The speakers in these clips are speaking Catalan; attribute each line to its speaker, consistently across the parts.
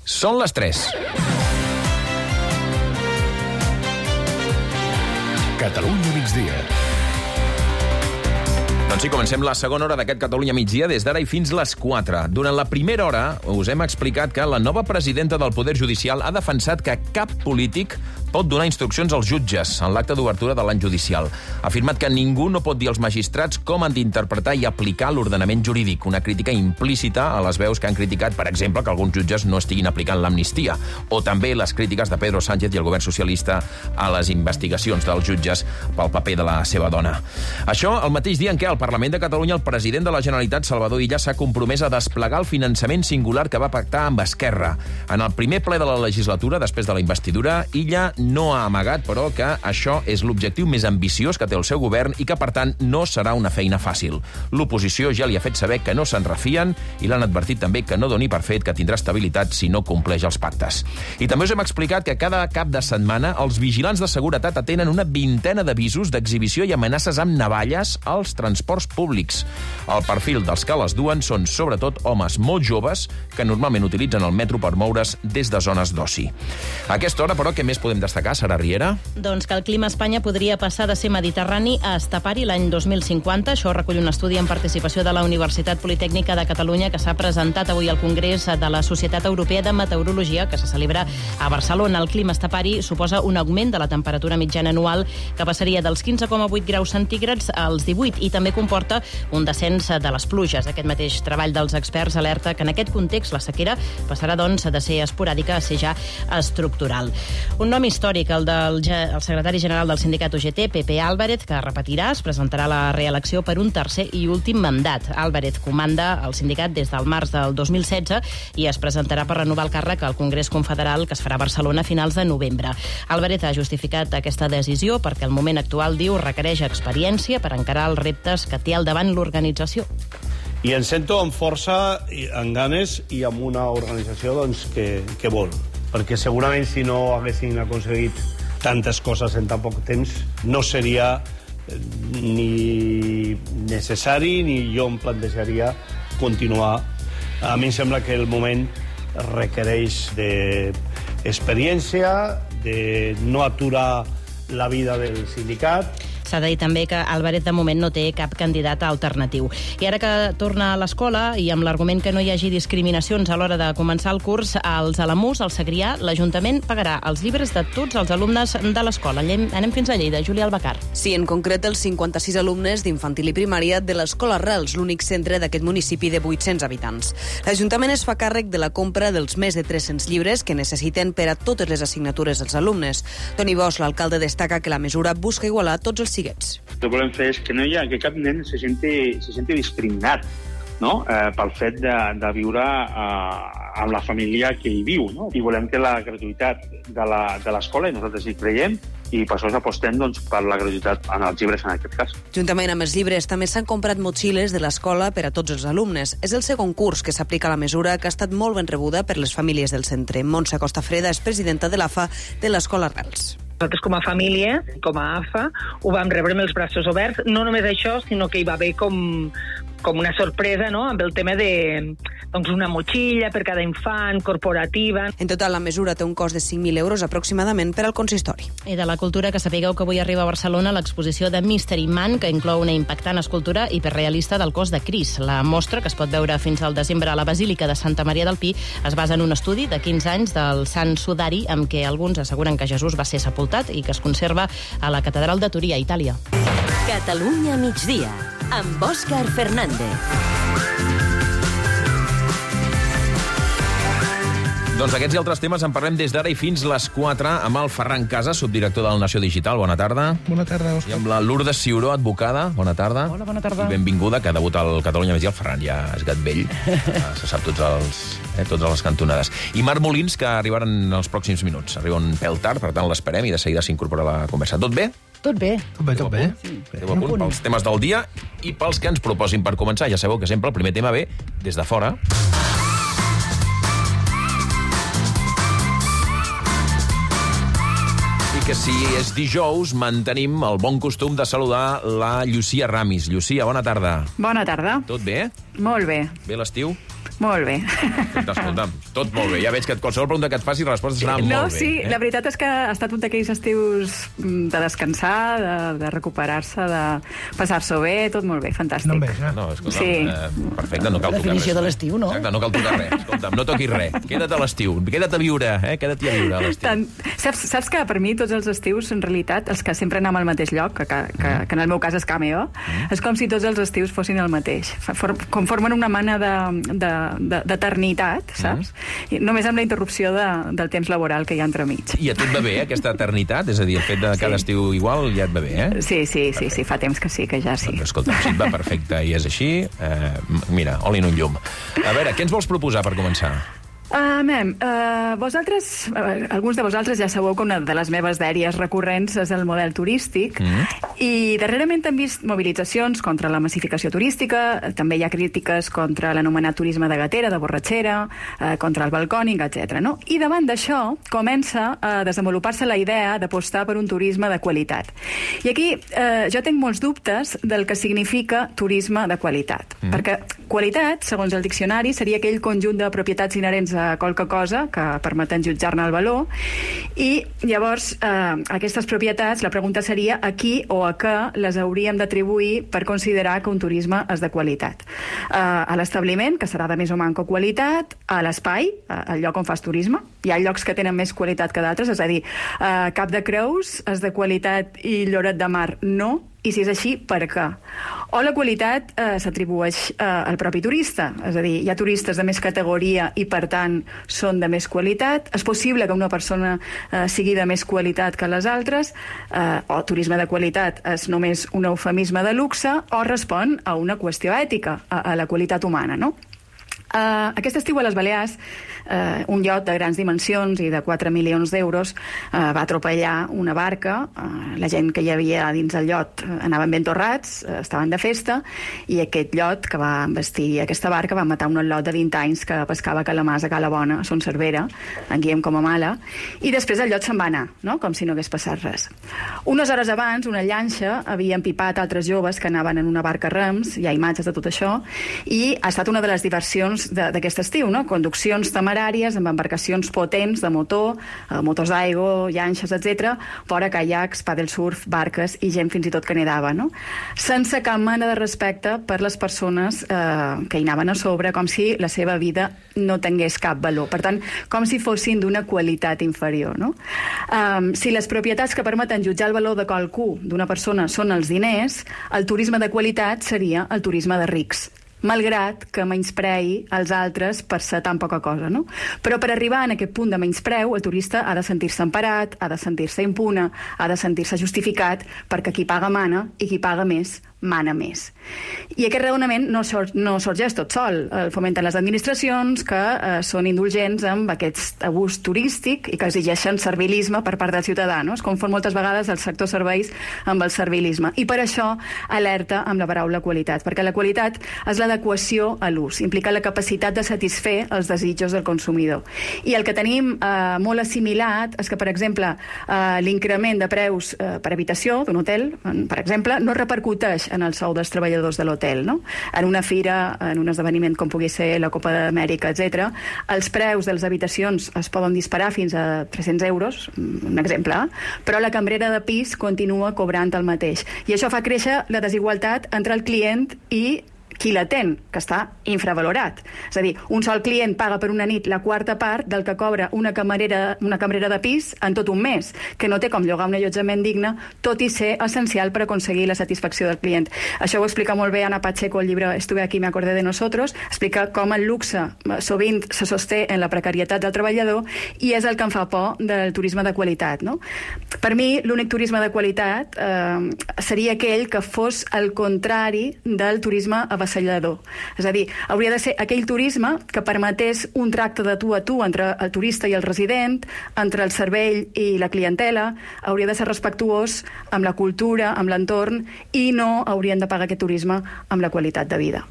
Speaker 1: Són les 3.
Speaker 2: Catalunya migdia.
Speaker 1: Doncs sí, comencem la segona hora d'aquest Catalunya migdia des d'ara i fins les 4. Durant la primera hora us hem explicat que la nova presidenta del Poder Judicial ha defensat que cap polític pot donar instruccions als jutges en l'acte d'obertura de l'any judicial. Ha afirmat que ningú no pot dir als magistrats com han d'interpretar i aplicar l'ordenament jurídic, una crítica implícita a les veus que han criticat, per exemple, que alguns jutges no estiguin aplicant l'amnistia, o també les crítiques de Pedro Sánchez i el govern socialista a les investigacions dels jutges pel paper de la seva dona. Això el mateix dia en què al Parlament de Catalunya el president de la Generalitat, Salvador Illa, s'ha compromès a desplegar el finançament singular que va pactar amb Esquerra. En el primer ple de la legislatura, després de la investidura, Illa no ha amagat, però, que això és l'objectiu més ambiciós que té el seu govern i que, per tant, no serà una feina fàcil. L'oposició ja li ha fet saber que no se'n refien i l'han advertit també que no doni per fet que tindrà estabilitat si no compleix els pactes. I també us hem explicat que cada cap de setmana els vigilants de seguretat atenen una vintena d'avisos d'exhibició i amenaces amb navalles als transports públics. El perfil dels que les duen són, sobretot, homes molt joves que normalment utilitzen el metro per moure's des de zones d'oci. A aquesta hora, però, què més podem destacar, Sara Riera?
Speaker 3: Doncs que el clima a Espanya podria passar de ser mediterrani a estepari l'any 2050. Això recull un estudi en participació de la Universitat Politècnica de Catalunya que s'ha presentat avui al Congrés de la Societat Europea de Meteorologia, que se celebra a Barcelona. El clima estepari suposa un augment de la temperatura mitjana anual que passaria dels 15,8 graus centígrads als 18 i també comporta un descens de les pluges. Aquest mateix treball dels experts alerta que en aquest context la sequera passarà, doncs, de ser esporàdica a ser ja estructural. Un nom històric, el del secretari general del sindicat UGT, Pepe Álvarez, que repetirà, es presentarà a la reelecció per un tercer i últim mandat. Álvarez comanda el sindicat des del març del 2016 i es presentarà per renovar el càrrec al Congrés Confederal que es farà a Barcelona a finals de novembre. Álvarez ha justificat aquesta decisió perquè el moment actual, diu, requereix experiència per encarar els reptes que té al davant l'organització.
Speaker 4: I em sento amb força, amb ganes i amb una organització, doncs, que vol. Perquè segurament si no haguessin aconseguit tantes coses en tan poc temps no seria ni necessari ni jo em plantejaria continuar. A mi em sembla que el moment requereix d'experiència, de no aturar la vida del sindicat.
Speaker 3: S'ha de dir també que Álvarez de moment no té cap candidat alternatiu. I ara que torna a l'escola i amb l'argument que no hi hagi discriminacions a l'hora de començar el curs, als Alamús, al Segrià, l'Ajuntament pagarà els llibres de tots els alumnes de l'escola. Anem fins a Lleida. Júlia Albacar.
Speaker 5: Sí, en concret els 56 alumnes d'infantil i primària de l'Escola Arrels, l'únic centre d'aquest municipi de 800 habitants. L'Ajuntament es fa càrrec de la compra dels més de 300 llibres que necessiten per a totes les assignatures dels alumnes. Toni Bosch, l'alcalde, destaca que la mesura busca igualar tots els el que
Speaker 6: volem fer és que que cap nen se senti discriminat, no? Pel fet de viure amb la família que hi viu, no? I volem que la gratuïtat de l'escola, i nosaltres hi creiem, i per això apostem, doncs, per la gratuïtat en els llibres en aquest cas.
Speaker 5: Juntament amb els llibres també s'han comprat motxilles de l'escola per a tots els alumnes. És el segon curs que s'aplica la mesura, que ha estat molt ben rebuda per les famílies del centre. Montse Costafreda és presidenta de l'AFA de l'Escola Arrels.
Speaker 7: Nosaltres com a família, com a AFA, ho vam rebre amb els braços oberts. No només això, sinó que hi va haver com una sorpresa, no?, amb el tema de una motxilla per cada infant, corporativa.
Speaker 5: En total, la mesura té un cost de 5.000 euros aproximadament per al consistori.
Speaker 3: I de la cultura, que sapigueu que avui arriba a Barcelona l'exposició de Mystery Man, que inclou una impactant escultura hiperrealista del cos de Cris. La mostra, que es pot veure fins al desembre a la Basílica de Santa Maria del Pi, es basa en un estudi de 15 anys del Sant Sudari, amb què alguns asseguren que Jesús va ser sepultat i que es conserva a la Catedral de Torí, a Itàlia.
Speaker 8: Catalunya migdia, amb Òscar Fernández.
Speaker 1: Doncs d'aquests i altres temes en parlem des d'ara i fins les 4 amb el Ferran Casas, subdirector del Nació Digital. Bona tarda.
Speaker 9: Bona tarda, Òscar.
Speaker 1: I amb la Lourdes Ciuró, advocada. Bona tarda.
Speaker 9: Hola, bona tarda.
Speaker 1: I benvinguda, que debuta al Catalunya Migdia. El Ferran ja és gat vell. Se sap totes les cantonades. I Marc Molins, que arribaran en els pròxims minuts. Arriba un pèl tard, per tant l'esperem i de seguida s'incorpora a la conversa. Tot bé?
Speaker 9: Tot bé. Tot bé.
Speaker 1: Esteu a punt pels temes del dia i pels que ens proposin per començar. Ja sabeu que sempre el primer tema ve des de fora. Que si és dijous, mantenim el bon costum de saludar la Llucia Ramis. Llucia, bona tarda.
Speaker 10: Bona tarda.
Speaker 1: Tot bé?
Speaker 10: Molt bé.
Speaker 1: Bé l'estiu?
Speaker 9: Molt bé.
Speaker 1: Escolta'm, tot molt bé. Ja veig que qualsevol pregunta que et faci resposta serà molt bé.
Speaker 9: No, sí, la veritat és que ha estat un d'aquells estius de descansar, de recuperar-se, de passar-s'ho bé, tot molt bé, fantàstic.
Speaker 10: No em veig,
Speaker 1: No, escolta'm, perfecte, no cal tocar res.
Speaker 11: Definició de l'estiu, no?
Speaker 1: Exacte, no cal tocar res. Escolta'm, no toquis res. Queda't a l'estiu. Queda't a viure, Queda't a viure a l'estiu.
Speaker 9: Saps que per mi tots els estius, en realitat, els que sempre anem al mateix lloc, que en el meu cas és Cameo, és com si tots els estius fossin el mateix. Conformen una mena d'eternitat, saps? Només amb la interrupció del temps laboral que hi ha entremig.
Speaker 1: I a tu et va bé, aquesta eternitat? És a dir, el fet de cada estiu igual ja et va bé,
Speaker 9: Sí, fa temps que sí, que ja sí.
Speaker 1: Doncs escolta, si et va perfecte i és així, mira, oli en un llum. A veure, què ens vols proposar per començar?
Speaker 9: Vosaltres, alguns de vosaltres ja sabeu que una de les meves dèries recurrents és el model turístic, i darrerament hem vist mobilitzacions contra la massificació turística, també hi ha crítiques contra l'anomenat turisme de gatera, de borratxera, contra el balcònic, etc. No? I davant d'això comença a desenvolupar-se la idea d'apostar per un turisme de qualitat. I aquí jo tinc molts dubtes del que significa turisme de qualitat, perquè qualitat, segons el diccionari, seria aquell conjunt de propietats inherents a qualque cosa que permeten jutjar-ne el valor, i llavors aquestes propietats, la pregunta seria a qui o a què les hauríem d'atribuir per considerar que un turisme és de qualitat. A l'establiment, que serà de més o manco qualitat, a l'espai, al lloc on fas turisme, hi ha llocs que tenen més qualitat que d'altres, és a dir, Cap de Creus és de qualitat i Lloret de Mar no, i si és així, per què? O la qualitat s'atribueix al propi turista, és a dir, hi ha turistes de més categoria i per tant són de més qualitat, és possible que una persona sigui de més qualitat que les altres, o turisme de qualitat és només un eufemisme de luxe, o respon a una qüestió ètica, a la qualitat humana, no? Aquest estiu a les Balears un iot de grans dimensions i de 4 milions d'euros va atropellar una barca. La gent que hi havia dins el iot anaven ben torrats, estaven de festa, i aquest iot que va embestir aquesta barca va matar un lot de 20 anys que pescava calamars a Cala Bona, a Son Cervera, en Guillem Comamala, i després el iot se'n va anar, no? Com si no hagués passat res. Unes hores abans, una llanxa havia empipat altres joves que anaven en una barca a rems, hi ha imatges de tot això, i ha estat una de les diversions d'aquest estiu, no? Conduccions temeràries amb embarcacions potents de motor, motors d'aigua, llanxes, etc., fora caiacs, paddlesurf, barques i gent fins i tot que nedava, no? Sense cap mena de respecte per les persones que hi anaven a sobre, com si la seva vida no tingués cap valor. Per tant, com si fossin d'una qualitat inferior, no? Si les propietats que permeten jutjar el valor de qualcú, d'una persona, són els diners, el turisme de qualitat seria el turisme de rics, malgrat que menysprei els altres per ser tan poca cosa, no? Però per arribar a aquest punt de menyspreu, el turista ha de sentir-se emparat, ha de sentir-se impune, ha de sentir-se justificat, perquè qui paga mana i qui paga més mana més. I aquest raonament no sorgeix tot sol. El fomenten les administracions, que són indulgents amb aquest abús turístic i que exigeixen servilisme per part del ciutadà, no? Es confon moltes vegades el sector serveis amb el servilisme. I per això alerta amb la paraula qualitat, perquè la qualitat és l'adequació a l'ús, implica la capacitat de satisfer els desitjos del consumidor. I el que tenim molt assimilat és que, per exemple, l'increment de preus per habitació d'un hotel, per exemple, no repercuteix en el sou dels treballadors de l'hotel, no? En una fira, en un esdeveniment com pugui ser la Copa d'Amèrica, etc., els preus de les habitacions es poden disparar fins a 300 euros, un exemple, però la cambrera de pis continua cobrant el mateix. I això fa créixer la desigualtat entre el client i qui l'atén, que està infravalorat. És a dir, un sol client paga per una nit la quarta part del que cobra una camarera de pis en tot un mes, que no té com llogar un allotjament digne, tot i ser essencial per aconseguir la satisfacció del client. Això ho explica molt bé Ana Pacheco al llibre Estuve aquí, me acordé de nosotros, explica com el luxe sovint se sosté en la precarietat del treballador i és el que em fa por del turisme de qualitat, no? Per mi, l'únic turisme de qualitat seria aquell que fos el contrari del turisme avassallador. És a dir, hauria de ser aquell turisme que permetés un tracte de tu a tu entre el turista i el resident, entre el cervell i la clientela, hauria de ser respectuós amb la cultura, amb l'entorn, i no haurien de pagar aquest turisme amb la qualitat de vida.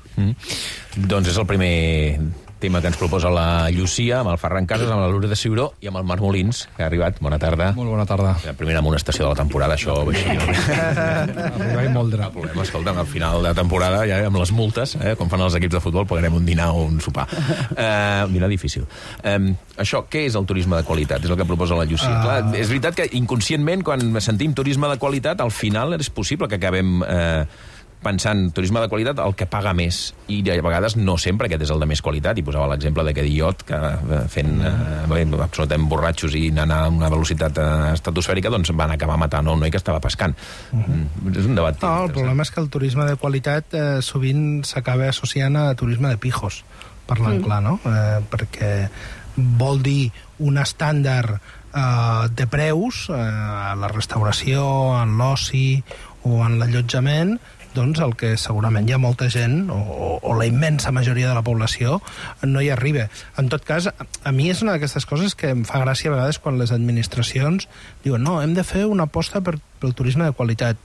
Speaker 1: Doncs és el primer tema que ens proposa la Llucia, amb el Ferran Casas, amb la Lourdes de Ciuró i amb el Marc Molins, que ha arribat. Bona tarda.
Speaker 10: Molt bona tarda.
Speaker 1: La primera amonestació de la temporada, això.
Speaker 10: Arribar i moldre.
Speaker 1: No problema, escolta, al final de temporada, ja amb les multes, com fan els equips de futbol, pagarem un dinar o un sopar. Un dinar difícil. Això, què és el turisme de qualitat? És el que proposa la Llucia. Clar, és veritat que inconscientment, quan sentim turisme de qualitat, al final és possible que acabem pensant turisme de qualitat el que paga més, i a vegades no sempre aquest és el de més qualitat, i posava l'exemple d'aquest iot que fent absolutament borratxos i anant a una velocitat estratosfèrica, doncs van acabar matant un noi que estava pescant. És un debat.
Speaker 11: No, el problema és que el turisme de qualitat sovint s'acaba associant a turisme de pijos, parlant clar, no? Perquè vol dir un estàndard de preus a la restauració, en l'oci o en l'allotjament, doncs el que segurament hi ha molta gent, o la immensa majoria de la població, no hi arriba. En tot cas, a mi és una d'aquestes coses que em fa gràcia a vegades quan les administracions diuen no, hem de fer una aposta pel turisme de qualitat.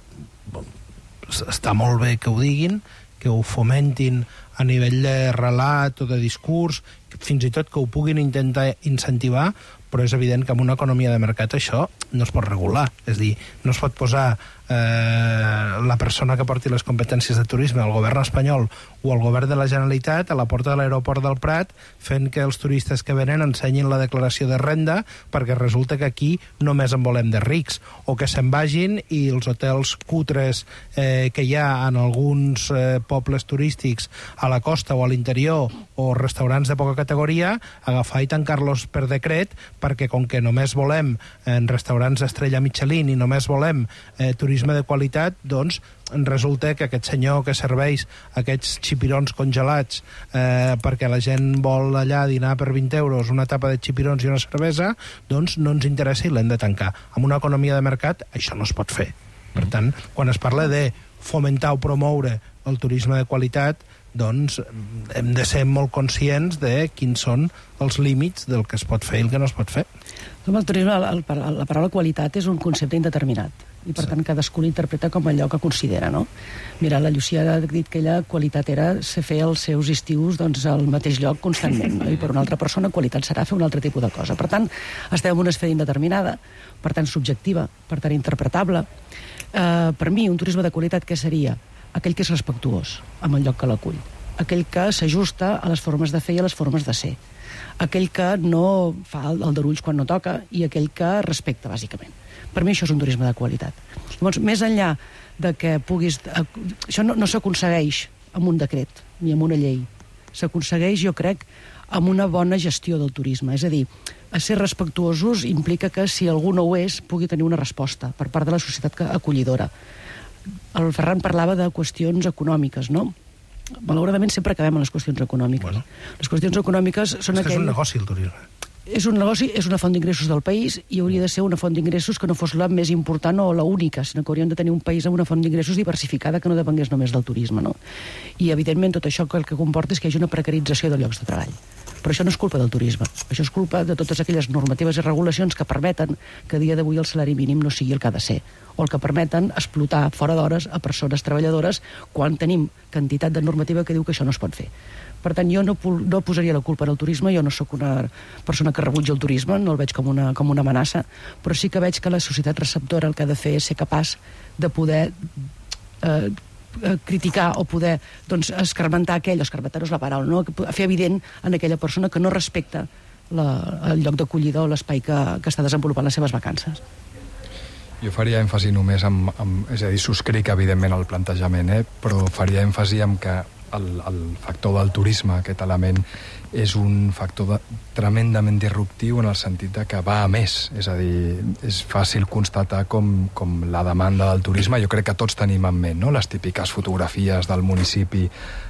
Speaker 11: Està molt bé que ho diguin, que ho fomentin a nivell de relat o de discurs, fins i tot que ho puguin intentar incentivar, però és evident que en una economia de mercat això no es pot regular. És a dir, no es pot posar la persona que porti les competències de turisme, el govern espanyol o el govern de la Generalitat, a la porta de l'aeroport del Prat, fent que els turistes que venen ensenyin la declaració de renda, perquè resulta que aquí només en volem de rics, o que se'n vagin i els hotels cutres que hi ha en alguns pobles turístics a la costa o a l'interior, o restaurants de poca categoria, agafar i tancar-los per decret, perquè com que només volem restaurants d'estrella Michelin i només volem turisme de qualitat, doncs resulta que aquest senyor que serveix aquests xipirons congelats perquè la gent vol allà dinar per 20 euros, una tapa de xipirons i una cervesa, doncs no ens interessa i l'hem de tancar. En una economia de mercat això no es pot fer. Per tant, quan es parla de fomentar o promoure el turisme de qualitat, doncs hem de ser molt conscients de quins són els límits del que es pot fer i el que no es pot fer.
Speaker 12: El turisme, la paraula qualitat és un concepte indeterminat, i per tant cadascú l'interpreta com allò que considera, no? Mira, la Llucia ha dit que ella qualitat era fer els seus estius al mateix lloc constantment, no? I per una altra persona qualitat serà fer un altre tipus de cosa. Per tant, estem en una esfera indeterminada, per tant subjectiva, per tant interpretable. Per mi, un turisme de qualitat què seria? Aquell que és respectuós amb el lloc que l'acull, aquell que s'ajusta a les formes de fer i a les formes de ser, aquell que no fa el darulls quan no toca i aquell que respecta, bàsicament. Per mi això és un turisme de qualitat. Llavors, més enllà de que puguis... Això no s'aconsegueix amb un decret ni amb una llei. S'aconsegueix, jo crec, amb una bona gestió del turisme. És a dir, a ser respectuosos implica que si algú no ho és, pugui tenir una resposta per part de la societat acollidora. El Ferran parlava de qüestions econòmiques, no? Malauradament sempre acabem en les qüestions econòmiques. Bueno, les qüestions econòmiques són
Speaker 11: és un negoci, el turisme.
Speaker 12: És un negoci, és una font d'ingressos del país i hauria de ser una font d'ingressos que no fos la més important o la única, sinó que hauríem de tenir un país amb una font d'ingressos diversificada que no depengués només del turisme, no? I, evidentment, tot això el que comporta és que hi hagi una precarització de llocs de treball. Però això no és culpa del turisme. Això és culpa de totes aquelles normatives i regulacions que permeten que a dia d'avui el salari mínim no sigui el que ha de ser, o el que permeten explotar fora d'hores a persones treballadores quan tenim quantitat de normativa que diu que això no es pot fer. Per tant, jo no posaria la culpa en el turisme, jo no sóc una persona que rebutja el turisme, no el veig com una amenaça, però sí que veig que la societat receptora el que ha de fer és ser capaç de poder criticar o poder escarmentar aquell, escarmentar no és la paraula, no? Fer evident en aquella persona que no respecta el lloc d'acollida o l'espai que està desenvolupant les seves vacances.
Speaker 10: Jo faria èmfasi només és a dir, subscric evidentment el plantejament, però faria èmfasi en que el factor del turisme, aquest element, és un factor tremendament disruptiu en el sentit de que va a més. És a dir, és fàcil constatar com la demanda del turisme, jo crec que tots tenim en ment, no? Les típiques fotografies del municipi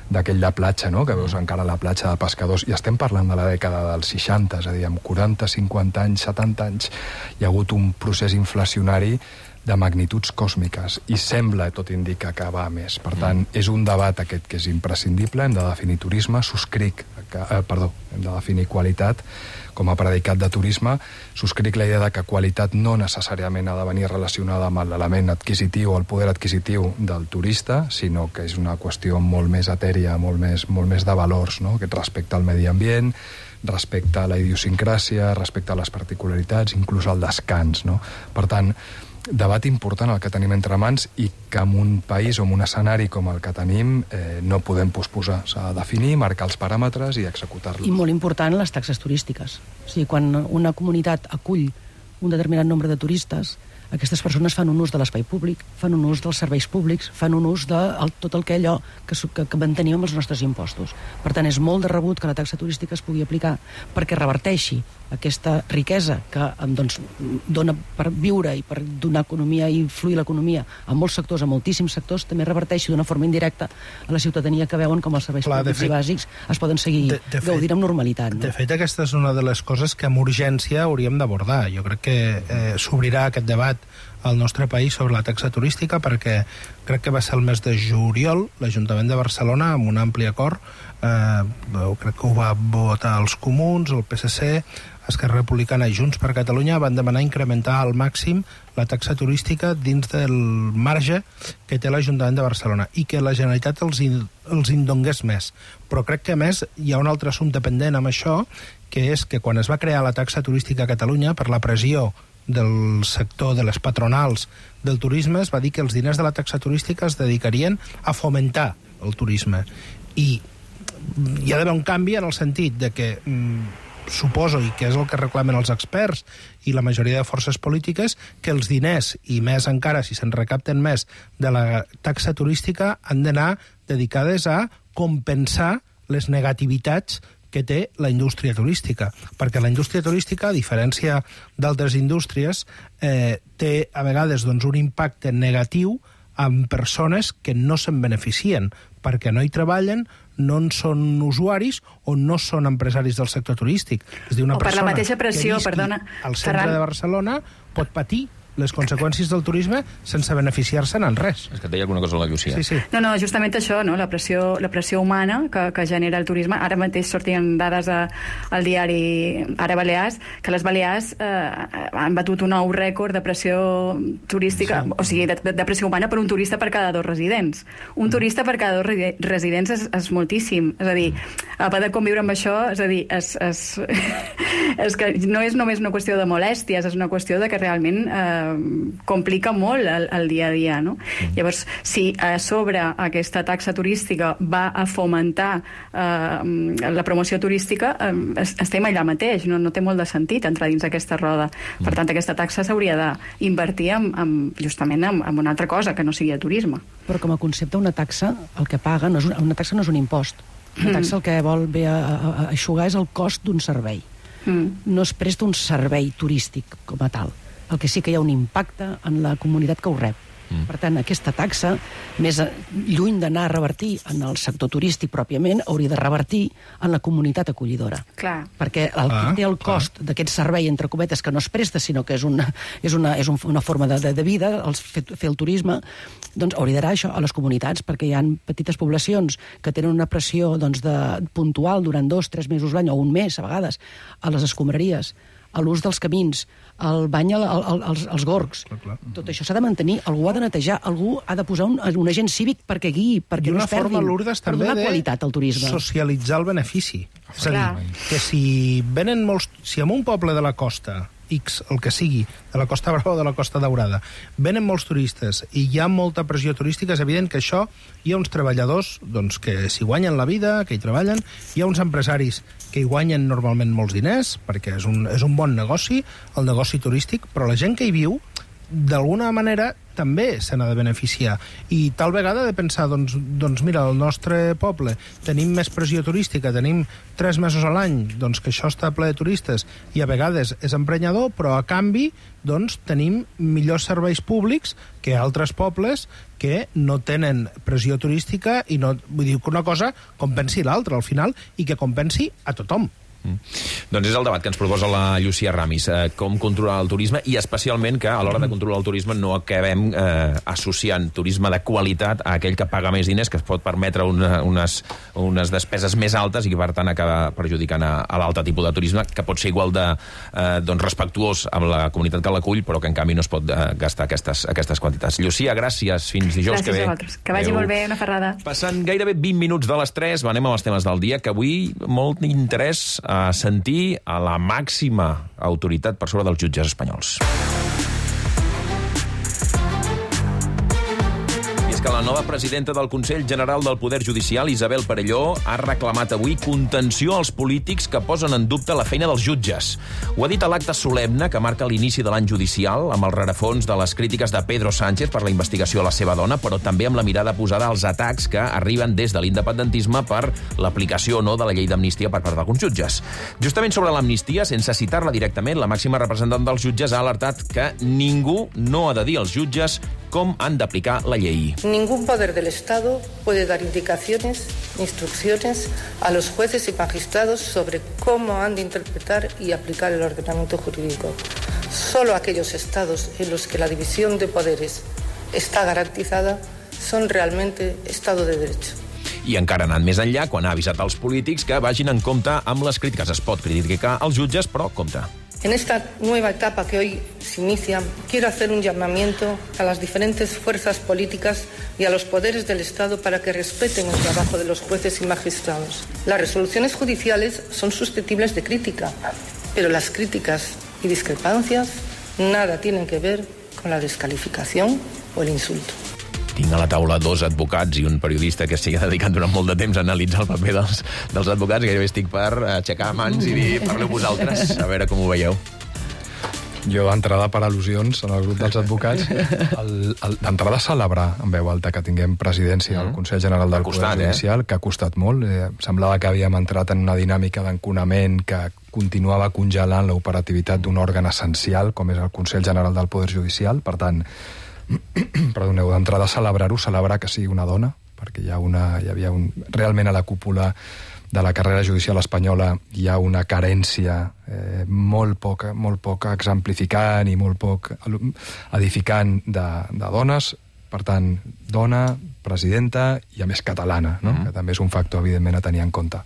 Speaker 10: d'aquell de platja, no? Que veus encara la platja de pescadors, i estem parlant de la dècada dels 60, és a dir, amb 40, 50 anys, 70 anys, hi ha hagut un procés inflacionari de magnituds còsmiques, i sembla, tot indica, que va a més. Per tant, és un debat aquest que és imprescindible, hem de definir turisme, subscric qualitat com a predicat de turisme. Subscric la idea de que qualitat no necessàriament ha de venir relacionada amb l'element adquisitiu o el poder adquisitiu del turista, sinó que és una qüestió molt més etèria, molt més de valors, no? Respecte al medi ambient, respecte a la idiosincràsia, respecte a les particularitats, inclús al descans, no? Per tant, debat important el que tenim entre mans i que en un país o en un escenari com el que tenim no podem posposar. S'ha de definir, marcar els paràmetres i executar-los.
Speaker 12: I molt important, les taxes turístiques. O sigui, quan una comunitat acull un determinat nombre de turistes, aquestes persones fan un ús de l'espai públic, fan un ús dels serveis públics, fan un ús de tot el que allò que mantenim amb els nostres impostos. Per tant, és molt de rebut que la taxa turística es pugui aplicar perquè reverteixi aquesta riquesa que doncs, dona per viure i per donar economia i influir l'economia a molts sectors, a moltíssims sectors, també reverteixi d'una forma indirecta a la ciutadania que veuen com els serveis públics i bàsics es poden seguir gaudint amb normalitat. No?
Speaker 11: De fet, aquesta és una de les coses que amb urgència hauríem d'abordar. Jo crec que s'obrirà aquest debat al nostre país sobre la taxa turística perquè crec que va ser el mes de juliol l'Ajuntament de Barcelona amb un ampli acord, crec que ho va votar els Comuns, el PSC, Esquerra Republicana i Junts per Catalunya van demanar incrementar al màxim la taxa turística dins del marge que té l'Ajuntament de Barcelona i que la Generalitat els en donés més. Però crec que a més hi ha un altre assumpte pendent amb això, que és que quan es va crear la taxa turística a Catalunya per la pressió del sector de les patronals del turisme, es va dir que els diners de la taxa turística es dedicarien a fomentar el turisme. I hi ha d'haver un canvi en el sentit de que suposo, i que és el que reclamen els experts i la majoria de forces polítiques, que els diners, i més encara si se'n recapten més de la taxa turística, han d'anar dedicades a compensar les negativitats que té la indústria turística, perquè la indústria turística, a diferència d'altres indústries, té a vegades doncs, un impacte negatiu amb persones que no se'n beneficien, perquè no hi treballen, no en són usuaris o no són empresaris del sector turístic. És a dir, una
Speaker 9: o per la mateixa pressió,
Speaker 11: que visqui al centre de Barcelona pot patir les conseqüències del turisme sense beneficiar-se'n en res.
Speaker 1: És que et deia alguna cosa la Llucia.
Speaker 11: Sí.
Speaker 9: No, justament això, no? la pressió humana que genera el turisme. Ara mateix sortien dades al diari Ara Balears, que les Balears han batut un nou rècord de pressió turística, o sigui, de pressió humana per un turista per cada 2 residents. Un turista per cada 2 residents és moltíssim. És a dir, a poder conviure amb això, és a dir, és que no és només una qüestió de molèsties, és una qüestió de que realment complica molt el dia a dia, no? Llavors, si a sobre aquesta taxa turística va a fomentar la promoció turística, estem allà mateix, no té molt de sentit entrar dins aquesta roda. Per tant, aquesta taxa s'hauria d'invertir justament en una altra cosa que no sigui el turisme.
Speaker 12: Però com a concepte, una taxa, el que paga, una taxa no és un impost. Una taxa el que vol bé a eixugar és el cost d'un servei. No es presta un servei turístic com a tal. El que sí que hi ha un impacte en la comunitat que ho rep. Per tant, aquesta taxa, més lluny d'anar a revertir en el sector turístic pròpiament, hauria de revertir en la comunitat acollidora.
Speaker 9: Clar.
Speaker 12: Perquè el que té el cost d'aquest servei, entre cometes, que no es presta, sinó que és una forma de vida, fer el turisme, doncs hauria d'anar això a les comunitats, perquè hi ha petites poblacions que tenen una pressió puntual durant 2-3 mesos l'any, o un mes, a vegades, a les escombraries, a l'ús dels camins, el bany als gorgs. Tot això s'ha de mantenir, algú ha de netejar, algú ha de posar un agent cívic perquè guiï, perquè no es perdin,
Speaker 11: forma, Lourdes,
Speaker 12: per donar qualitat al turisme.
Speaker 11: Socialitzar el benefici. És a dir, que si en un poble de la costa X, el que sigui, de la Costa Brava o de la Costa Daurada, venen molts turistes i hi ha molta pressió turística, és evident que això hi ha uns treballadors doncs, que s'hi guanyen la vida, que hi treballen, hi ha uns empresaris que hi guanyen normalment molts diners, perquè és un bon negoci, el negoci turístic, però la gent que hi viu, d'alguna manera, també se n'ha de beneficiar. I tal vegada ha de pensar, doncs mira, al nostre poble tenim més pressió turística, tenim 3 mesos a l'any, doncs que això està ple de turistes, i a vegades és emprenyador, però a canvi doncs tenim millors serveis públics que altres pobles que no tenen pressió turística i no, vull dir que una cosa compensi l'altra al final i que compensi a tothom.
Speaker 1: Doncs és el debat que ens proposa la Llucia Ramis, com controlar el turisme, i especialment que a l'hora de controlar el turisme no acabem associant turisme de qualitat a aquell que paga més diners, que es pot permetre unes despeses més altes i que per tant acaba perjudicant a l'altre tipus de turisme, que pot ser igual de respectuós amb la comunitat que l'acull, però que en canvi no es pot gastar aquestes quantitats. Llucia, gràcies. Fins dijous que ve.
Speaker 9: Gràcies a vosaltres. Que vagi molt bé, una ferrada.
Speaker 1: Passant gairebé 20 minuts de les 3, anem als temes del dia, que avui molt interès a sentir a la màxima autoritat per sobre dels jutges espanyols. Que la nova presidenta del Consell General del Poder Judicial, Isabel Perelló, ha reclamat avui contenció als polítics que posen en dubte la feina dels jutges. Ho ha dit a l'acte solemne que marca l'inici de l'any judicial, amb el rerefons de les crítiques de Pedro Sánchez per la investigació a la seva dona, però també amb la mirada posada als atacs que arriben des de l'independentisme per l'aplicació o no de la llei d'amnistia per part d'alguns jutges. Justament sobre l'amnistia, sense citar-la directament, la màxima representant dels jutges ha alertat que ningú no ha de dir als jutges com han d'aplicar la llei.
Speaker 13: Ningún poder del Estado puede dar indicaciones, instrucciones a los jueces y magistrados sobre cómo han de interpretar y aplicar el ordenamiento jurídico. Solo aquellos estados en los que la división de poderes está garantizada son realmente Estado de Derecho.
Speaker 1: I encara anant més enllà, quan ha avisat als polítics que vagin en compte amb les crítiques. Es pot criticar als jutges, però compte.
Speaker 13: En esta nueva etapa que hoy se inicia, quiero hacer un llamamiento a las diferentes fuerzas políticas y a los poderes del Estado para que respeten el trabajo de los jueces y magistrados. Las resoluciones judiciales son susceptibles de crítica, pero las críticas y discrepancias nada tienen que ver con la descalificación o el insulto.
Speaker 1: Tinc a la taula 2 advocats i un periodista que s'hi ha dedicat durant molt de temps a analitzar el paper dels advocats. Gairebé estic per aixecar mans i dir, parleu vosaltres, a veure com ho veieu.
Speaker 10: Jo, d'entrada, per al·lusions en el grup dels advocats, d'entrada celebrar en veu alta que tinguem presidència al Consell General del Poder Judicial, que ha costat molt. Semblava que havíem entrat en una dinàmica d'enconament que continuava congelant l'operativitat d'un òrgan essencial, com és el Consell General del Poder Judicial. Per tant, perdoneu, d'entrada celebrar que sigui una dona, perquè hi havia realment a la cúpula de la carrera judicial espanyola hi ha una carència molt poc exemplificant i molt poc edificant de dones. Per tant, dona, presidenta i a més catalana, no? Que també és un factor evidentment a tenir en compte.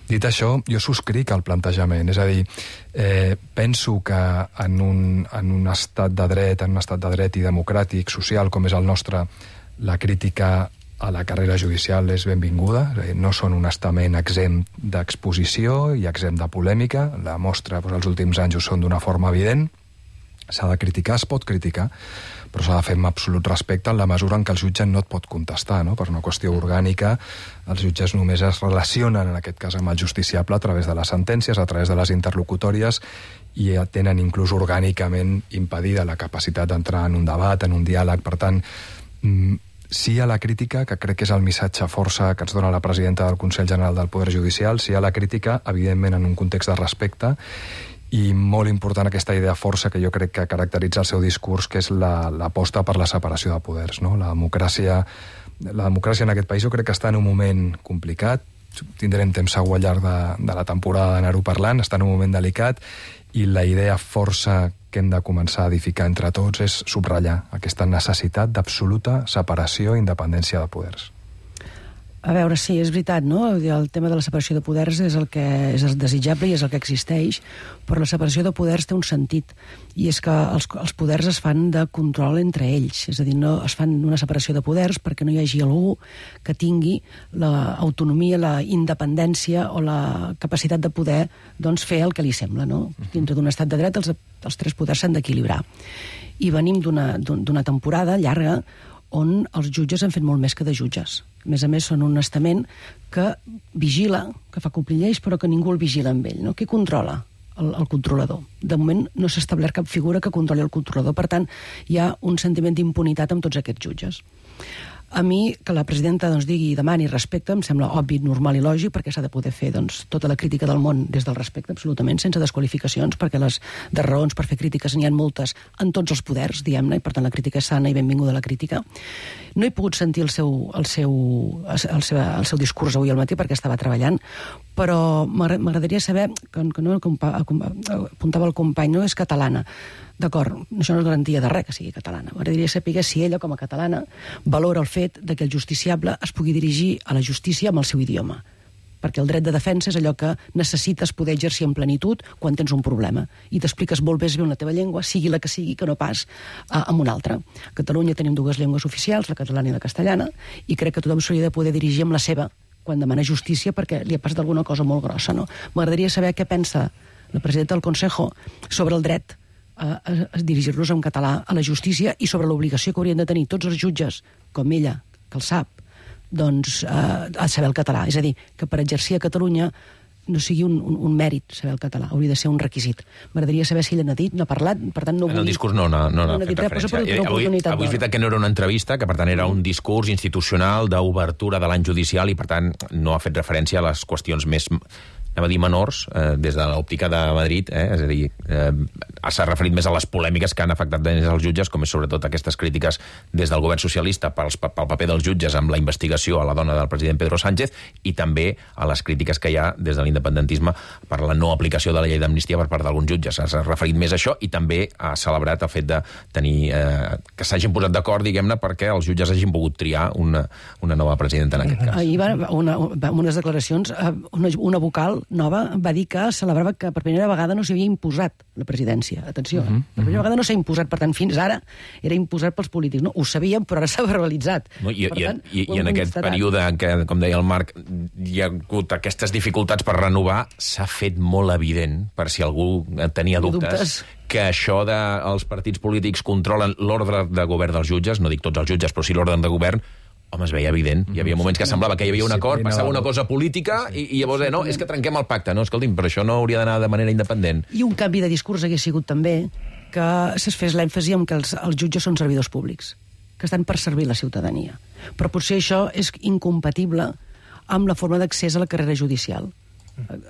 Speaker 10: Dit això, jo subscric el plantejament, és a dir, penso que en un estat de dret i democràtic, social, com és el nostre, la crítica a la carrera judicial és benvinguda, no són un estament exempt d'exposició i exempt de polèmica, la mostra els últims anys ho són d'una forma evident, s'ha de criticar, es pot criticar, però s'ha de fer amb absolut respecte en la mesura en què el jutge no et pot contestar, no? Per una qüestió orgànica, els jutges només es relacionen, en aquest cas, amb el justiciable a través de les sentències, a través de les interlocutòries, i tenen inclús orgànicament impedida la capacitat d'entrar en un debat, en un diàleg. Per tant, sí a la crítica, que crec que és el missatge força que ens dona la presidenta del Consell General del Poder Judicial, sí a la crítica, evidentment en un context de respecte, i molt important aquesta idea força que jo crec que caracteritza el seu discurs, que és l'aposta per la separació de poders, no? La democràcia en aquest país jo crec que està en un moment complicat, tindrem temps segur al llarg de la temporada d'anar-ho parlant, està en un moment delicat, i la idea força que hem de començar a edificar entre tots és subratllar aquesta necessitat d'absoluta separació i independència de poders.
Speaker 12: A veure, sí, és veritat, no? El tema de la separació de poders és el que és desitjable i és el que existeix, però la separació de poders té un sentit, i és que els poders es fan de control entre ells, és a dir, no es fan una separació de poders perquè no hi hagi algú que tingui l'autonomia, la independència o la capacitat de poder fer el que li sembla, no? Dintre d'un estat de dret els tres poders s'han d'equilibrar. I venim d'una temporada llarga on els jutges han fet molt més que de jutges. A més, són un estament que vigila, que fa complir lleis, però que ningú el vigila amb ell. No? Qui controla? El controlador. De moment no s'ha establert cap figura que controli el controlador. Per tant, hi ha un sentiment d'impunitat amb tots aquests jutges. A mi, que la presidenta digui i demani respecte, em sembla obvi, normal i lògic, perquè s'ha de poder fer tota la crítica del món des del respecte, absolutament, sense desqualificacions, perquè de raons per fer crítiques n'hi ha moltes en tots els poders, diguem-ne, i per tant la crítica és sana i benvinguda la crítica. No he pogut sentir el seu discurs avui al matí perquè estava treballant, però m'agradaria saber, que no apuntava el company, no és catalana. D'acord, això no és garantia de res que sigui catalana. M'agradaria saber si ella, com a catalana, valora el fet que el justiciable es pugui dirigir a la justícia amb el seu idioma. Perquè el dret de defensa és allò que necessites poder exercir en plenitud quan tens un problema. I t'expliques molt més bé en la teva llengua, sigui la que sigui, que no pas amb una altra. A Catalunya tenim dues llengües oficials, la catalana i la castellana, i crec que tothom s'hauria de poder dirigir amb la seva quan demana justícia perquè li ha passat alguna cosa molt grossa, no? M'agradaria saber què pensa la presidenta del Consejo sobre el dret a dirigir-nos en català a la justícia i sobre l'obligació que haurien de tenir tots els jutges, com ella, que el sap, doncs, a saber el català. És a dir, que per exercir a Catalunya no sigui un mèrit saber el català, hauria de ser un requisit. M'agradaria saber si ella n'ha dit, n'ha parlat, per tant no vull...
Speaker 1: En el discurs no n'ha fet referència. Avui és veritat que no era una entrevista, que per tant era un discurs institucional d'obertura de l'any judicial i per tant no ha fet referència a les qüestions més... anem a dir menors, des de l'òptica de Madrid, és a dir, s'ha referit més a les polèmiques que han afectat més els jutges, com és sobretot aquestes crítiques des del govern socialista pel paper dels jutges amb la investigació a la dona del president Pedro Sánchez i també a les crítiques que hi ha des de l'independentisme per la no aplicació de la llei d'amnistia per part d'alguns jutges. S'ha referit més a això i també ha celebrat el fet de tenir que s'hagin posat d'acord, diguem-ne, perquè els jutges hagin pogut triar una nova presidenta en aquest cas.
Speaker 12: Ahir va unes declaracions, una vocal nova va dir que celebrava que per primera vegada no s'havia imposat la presidència. Atenció, per primera vegada no s'ha imposat, per tant, fins ara era imposat pels polítics. No? Ho sabíem, però ara s'ha verbalitzat.
Speaker 1: No, I en aquest període en què, com deia el Marc, hi ha hagut aquestes dificultats per renovar, s'ha fet molt evident, per si algú tenia dubtes, que això dels partits polítics controlen l'ordre de govern dels jutges, no dic tots els jutges, però sí l'ordre de govern, home, es veia evident. Hi havia moments que semblava que hi havia un acord, passava una cosa política i llavors no, és que trenquem el pacte. No, escolti'm, però això no hauria d'anar de manera independent.
Speaker 12: I un canvi de discurs hagués sigut també que es fes l'èmfasi en que els jutges són servidors públics, que estan per servir la ciutadania. Però potser això és incompatible amb la forma d'accés a la carrera judicial.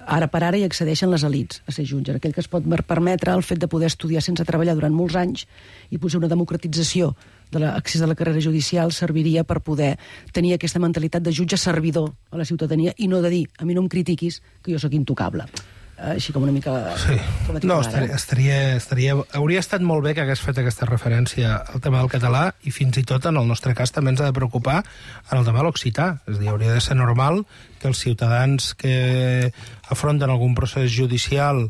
Speaker 12: Ara per ara hi accedeixen les elits a ser jutge, aquell que es pot permetre el fet de poder estudiar sense treballar durant molts anys i potser una democratització de l'accés a la carrera judicial serviria per poder tenir aquesta mentalitat de jutge servidor a la ciutadania i no de dir, a mi no em critiquis, que jo sóc intocable. Així com una mica...
Speaker 11: Sí. No, hauria estat molt bé que hagués fet aquesta referència al tema del català i fins i tot en el nostre cas també ens ha de preocupar en el tema de l'occità. És a dir, hauria de ser normal que els ciutadans que afronten algun procés judicial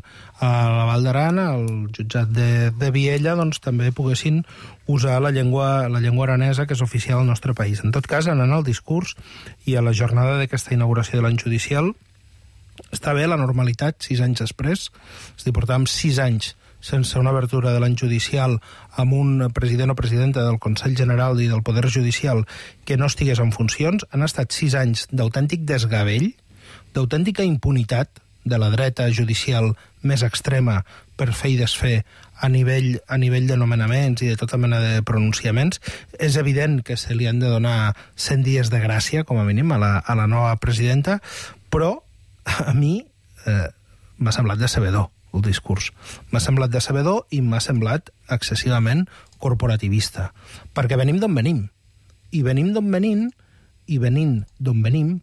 Speaker 11: a la Val d'Aran, al jutjat de Viella, doncs també poguessin usar la llengua aranesa, que és oficial al nostre país. En tot cas, anant al discurs i a la jornada d'aquesta inauguració de l'any judicial, està bé la normalitat 6 anys després, és a dir, portàvem 6 anys sense una obertura de l'any judicial amb un president o presidenta del Consell General i del Poder Judicial que no estigués en funcions. Han estat 6 anys d'autèntic desgavell, d'autèntica impunitat de la dreta judicial més extrema per fer i desfer a nivell de nomenaments i de tota mena de pronunciaments. És evident que se li han de donar 100 dies de gràcia, com a mínim, a la nova presidenta, però a mi m'ha semblat decebedor el discurs. M'ha semblat decebedor i m'ha semblat excessivament corporativista. Perquè venim d'on venim. I venint d'on venim,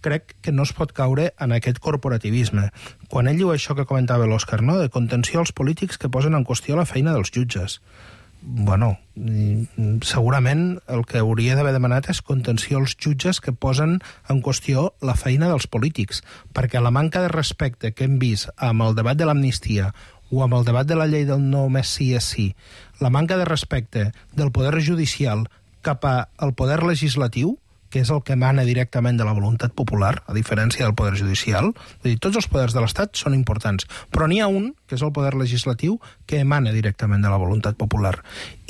Speaker 11: crec que no es pot caure en aquest corporativisme. Quan ell diu això que comentava l'Òscar, no?, de contenció als polítics que posen en qüestió la feina dels jutges. Bueno, segurament el que hauria d'haver demanat és contenció als jutges que posen en qüestió la feina dels polítics, perquè la manca de respecte que hem vist amb el debat de l'amnistia o amb el debat de la llei del no més sí és sí, la manca de respecte del poder judicial cap al poder legislatiu, que és el que emana directament de la voluntat popular, a diferència del poder judicial. És a dir, tots els poders de l'Estat són importants, però n'hi ha un, que és el poder legislatiu, que emana directament de la voluntat popular.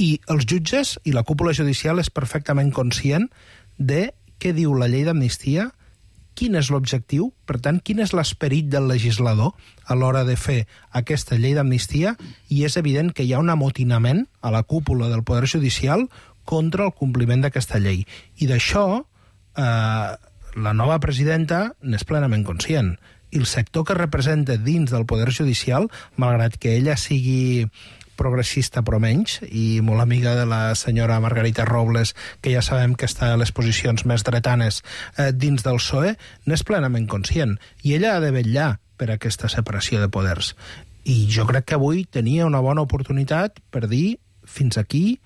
Speaker 11: I els jutges i la cúpula judicial és perfectament conscient de què diu la llei d'amnistia, quin és l'objectiu, per tant, quin és l'esperit del legislador a l'hora de fer aquesta llei d'amnistia, i és evident que hi ha un amotinament a la cúpula del poder judicial contra el compliment d'aquesta llei. I d'això la nova presidenta n'és plenament conscient. I el sector que representa dins del Poder Judicial, malgrat que ella sigui progressista però menys, i molt amiga de la senyora Margarita Robles, que ja sabem que està a les posicions més dretanes dins del PSOE, n'és plenament conscient. I ella ha de vetllar per aquesta separació de poders. I jo crec que avui tenia una bona oportunitat per dir fins aquí,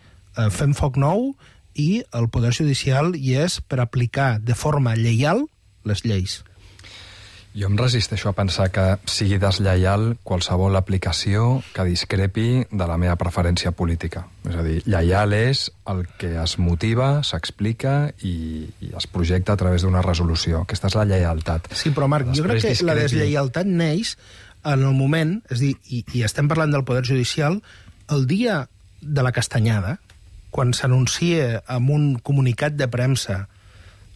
Speaker 11: fem foc nou, i el Poder Judicial hi és per aplicar de forma lleial les lleis.
Speaker 10: Jo em resisteixo a pensar que sigui deslleial qualsevol aplicació que discrepi de la meva preferència política. És a dir, lleial és el que es motiva, s'explica i es projecta a través d'una resolució. Aquesta és la lleialtat.
Speaker 11: Sí, però Marc, jo crec que la deslleialtat neix en el moment, és a dir, i estem parlant del Poder Judicial, el dia de la castanyada, quan s'anuncia amb un comunicat de premsa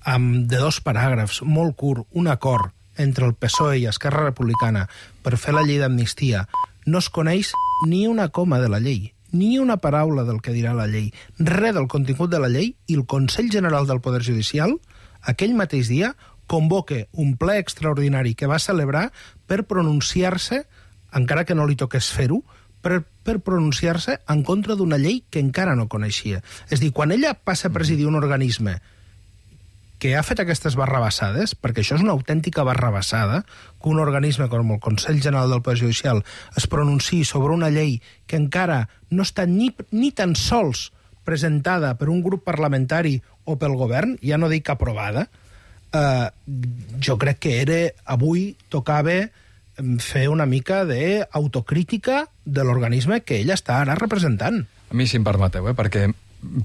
Speaker 11: de 2 paràgrafs, molt curt, un acord entre el PSOE i Esquerra Republicana per fer la llei d'amnistia, no es coneix ni una coma de la llei, ni una paraula del que dirà la llei, res del contingut de la llei, i el Consell General del Poder Judicial, aquell mateix dia, convoca un ple extraordinari que va celebrar per pronunciar-se, encara que no li toqués fer-ho, per pronunciar-se en contra d'una llei que encara no coneixia. És a dir, quan ella passa a presidir un organisme que ha fet aquestes barrabassades, perquè això és una autèntica barrabassada, que un organisme com el Consell General del Poder Judicial es pronunciï sobre una llei que encara no està ni tan sols presentada per un grup parlamentari o pel govern, ja no dic aprovada, jo crec que avui tocava fer una mica d'autocrítica de l'organisme que ella està ara representant.
Speaker 10: A mi, si em permeteu, perquè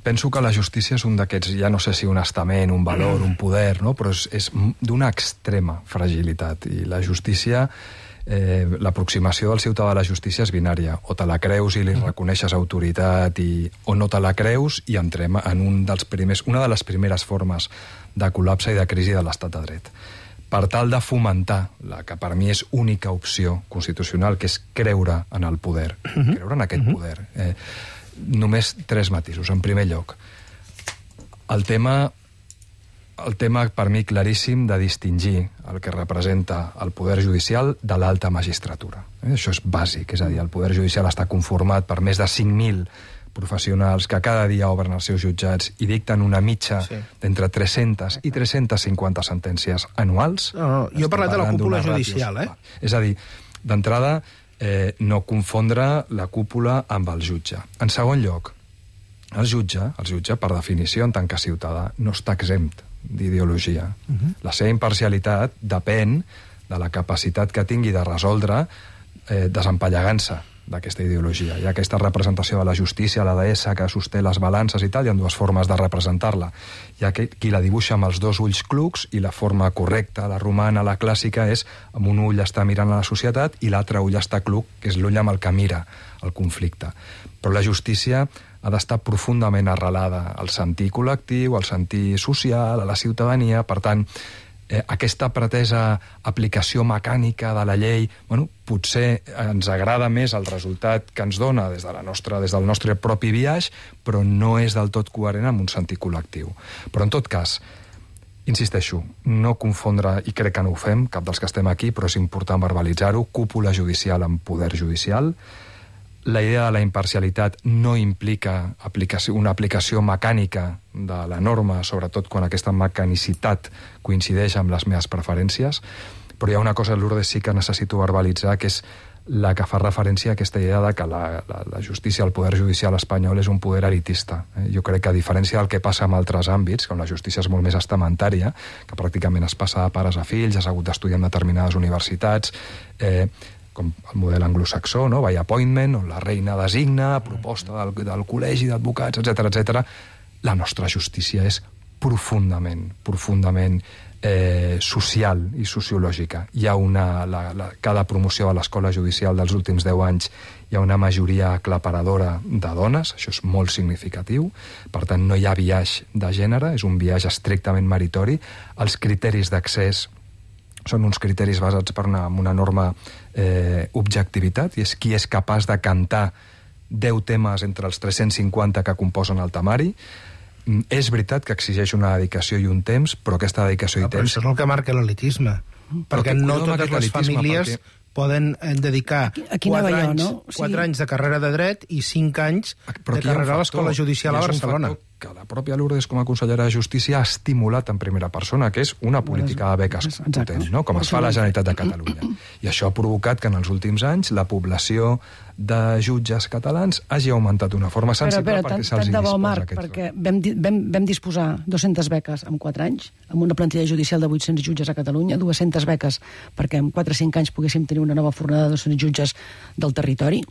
Speaker 10: penso que la justícia és un d'aquests, ja no sé si un estament, un valor, un poder, no? Però és d'una extrema fragilitat. I la justícia, l'aproximació del ciutadà a la justícia és binària. O te la creus i li reconeixes autoritat, o no te la creus i entrem en una de les primeres formes de col·lapse i de crisi de l'estat de dret. Per tal de fomentar la que per mi és única opció constitucional, que és creure en el poder, creure en aquest poder. Només 3 matisos. En primer lloc, el tema per mi claríssim de distingir el que representa el poder judicial de l'alta magistratura. Això és bàsic, és a dir, el poder judicial està conformat per més de 5.000 professionals que cada dia obren els seus jutjats i dicten una mitja d'entre 300 i 350 sentències anuals.
Speaker 11: No, jo he parlat de la cúpula judicial,
Speaker 10: És a dir, d'entrada, no confondre la cúpula amb el jutge. En segon lloc, el jutge, per definició, en tant que ciutadà, no està exempt d'ideologia. La seva imparcialitat depèn de la capacitat que tingui de resoldre desempallegant-se d'aquesta ideologia. Hi ha aquesta representació de la justícia, la deessa que sosté les balances i tal, hi ha 2 formes de representar-la. Hi ha qui la dibuixa amb els 2 ulls clucs i la forma correcta, la romana, la clàssica, és amb un ull està mirant a la societat i l'altre ull està cluc, que és l'ull amb el que mira el conflicte. Però la justícia ha d'estar profundament arrelada al sentir col·lectiu, al sentir social, a la ciutadania. Per tant, aquesta pretesa aplicació mecànica de la llei, potser ens agrada més el resultat que ens dona des del nostre propi biaix, però no és del tot coherent amb un sentit col·lectiu. Però en tot cas, insisteixo, no confondre, i crec que no ho fem, cap dels que estem aquí, però és important verbalitzar-ho, cúpula judicial amb poder judicial. La idea de la imparcialitat no implica una aplicació mecànica de la norma, sobretot quan aquesta mecanicitat coincideix amb les meves preferències, però hi ha una cosa, Lourdes, sí que necessito verbalitzar, que és la que fa referència a aquesta idea de que la justícia, el poder judicial espanyol és un poder elitista. Jo crec que, a diferència del que passa en altres àmbits, on la justícia és molt més estamentària, que pràcticament es passa de pares a fills, has hagut d'estudiar en determinades universitats, com el model anglosaxó, no? By appointment, on la reina designa, a proposta del col·legi d'advocats, etc. La nostra justícia és profundament social i sociològica. Hi ha cada promoció de l'escola judicial dels últims 10 anys hi ha una majoria aclaparadora de dones, això és molt significatiu, per tant no hi ha biaix de gènere, és un biaix estrictament meritori. Els criteris d'accés són uns criteris basats per una enorme objectivitat, i és qui és capaç de cantar 10 temes entre els 350 que composen el temari. És veritat que exigeix una dedicació i un temps, però aquesta dedicació i temps...
Speaker 11: Però això és el que marca l'elitisme, perquè no totes les famílies poden dedicar
Speaker 12: Aquí
Speaker 11: 4 anys de carrera de dret i 5 anys de carrera a l'Escola Judicial a Barcelona.
Speaker 10: Que la pròpia Lourdes, com a consellera de Justícia, ha estimulat en primera persona, que és una política de beques potent, no? Com es fa a la Generalitat de Catalunya. I això ha provocat que en els últims anys la població de jutges catalans hagi augmentat d'una forma sensible perquè se'ls disposa aquest
Speaker 12: perquè vam disposar 200 beques en 4 anys, amb una plantilla judicial de 800 jutges a Catalunya, 200 beques perquè en 4 o 5 anys poguéssim tenir una nova fornada de 200 jutges del territori.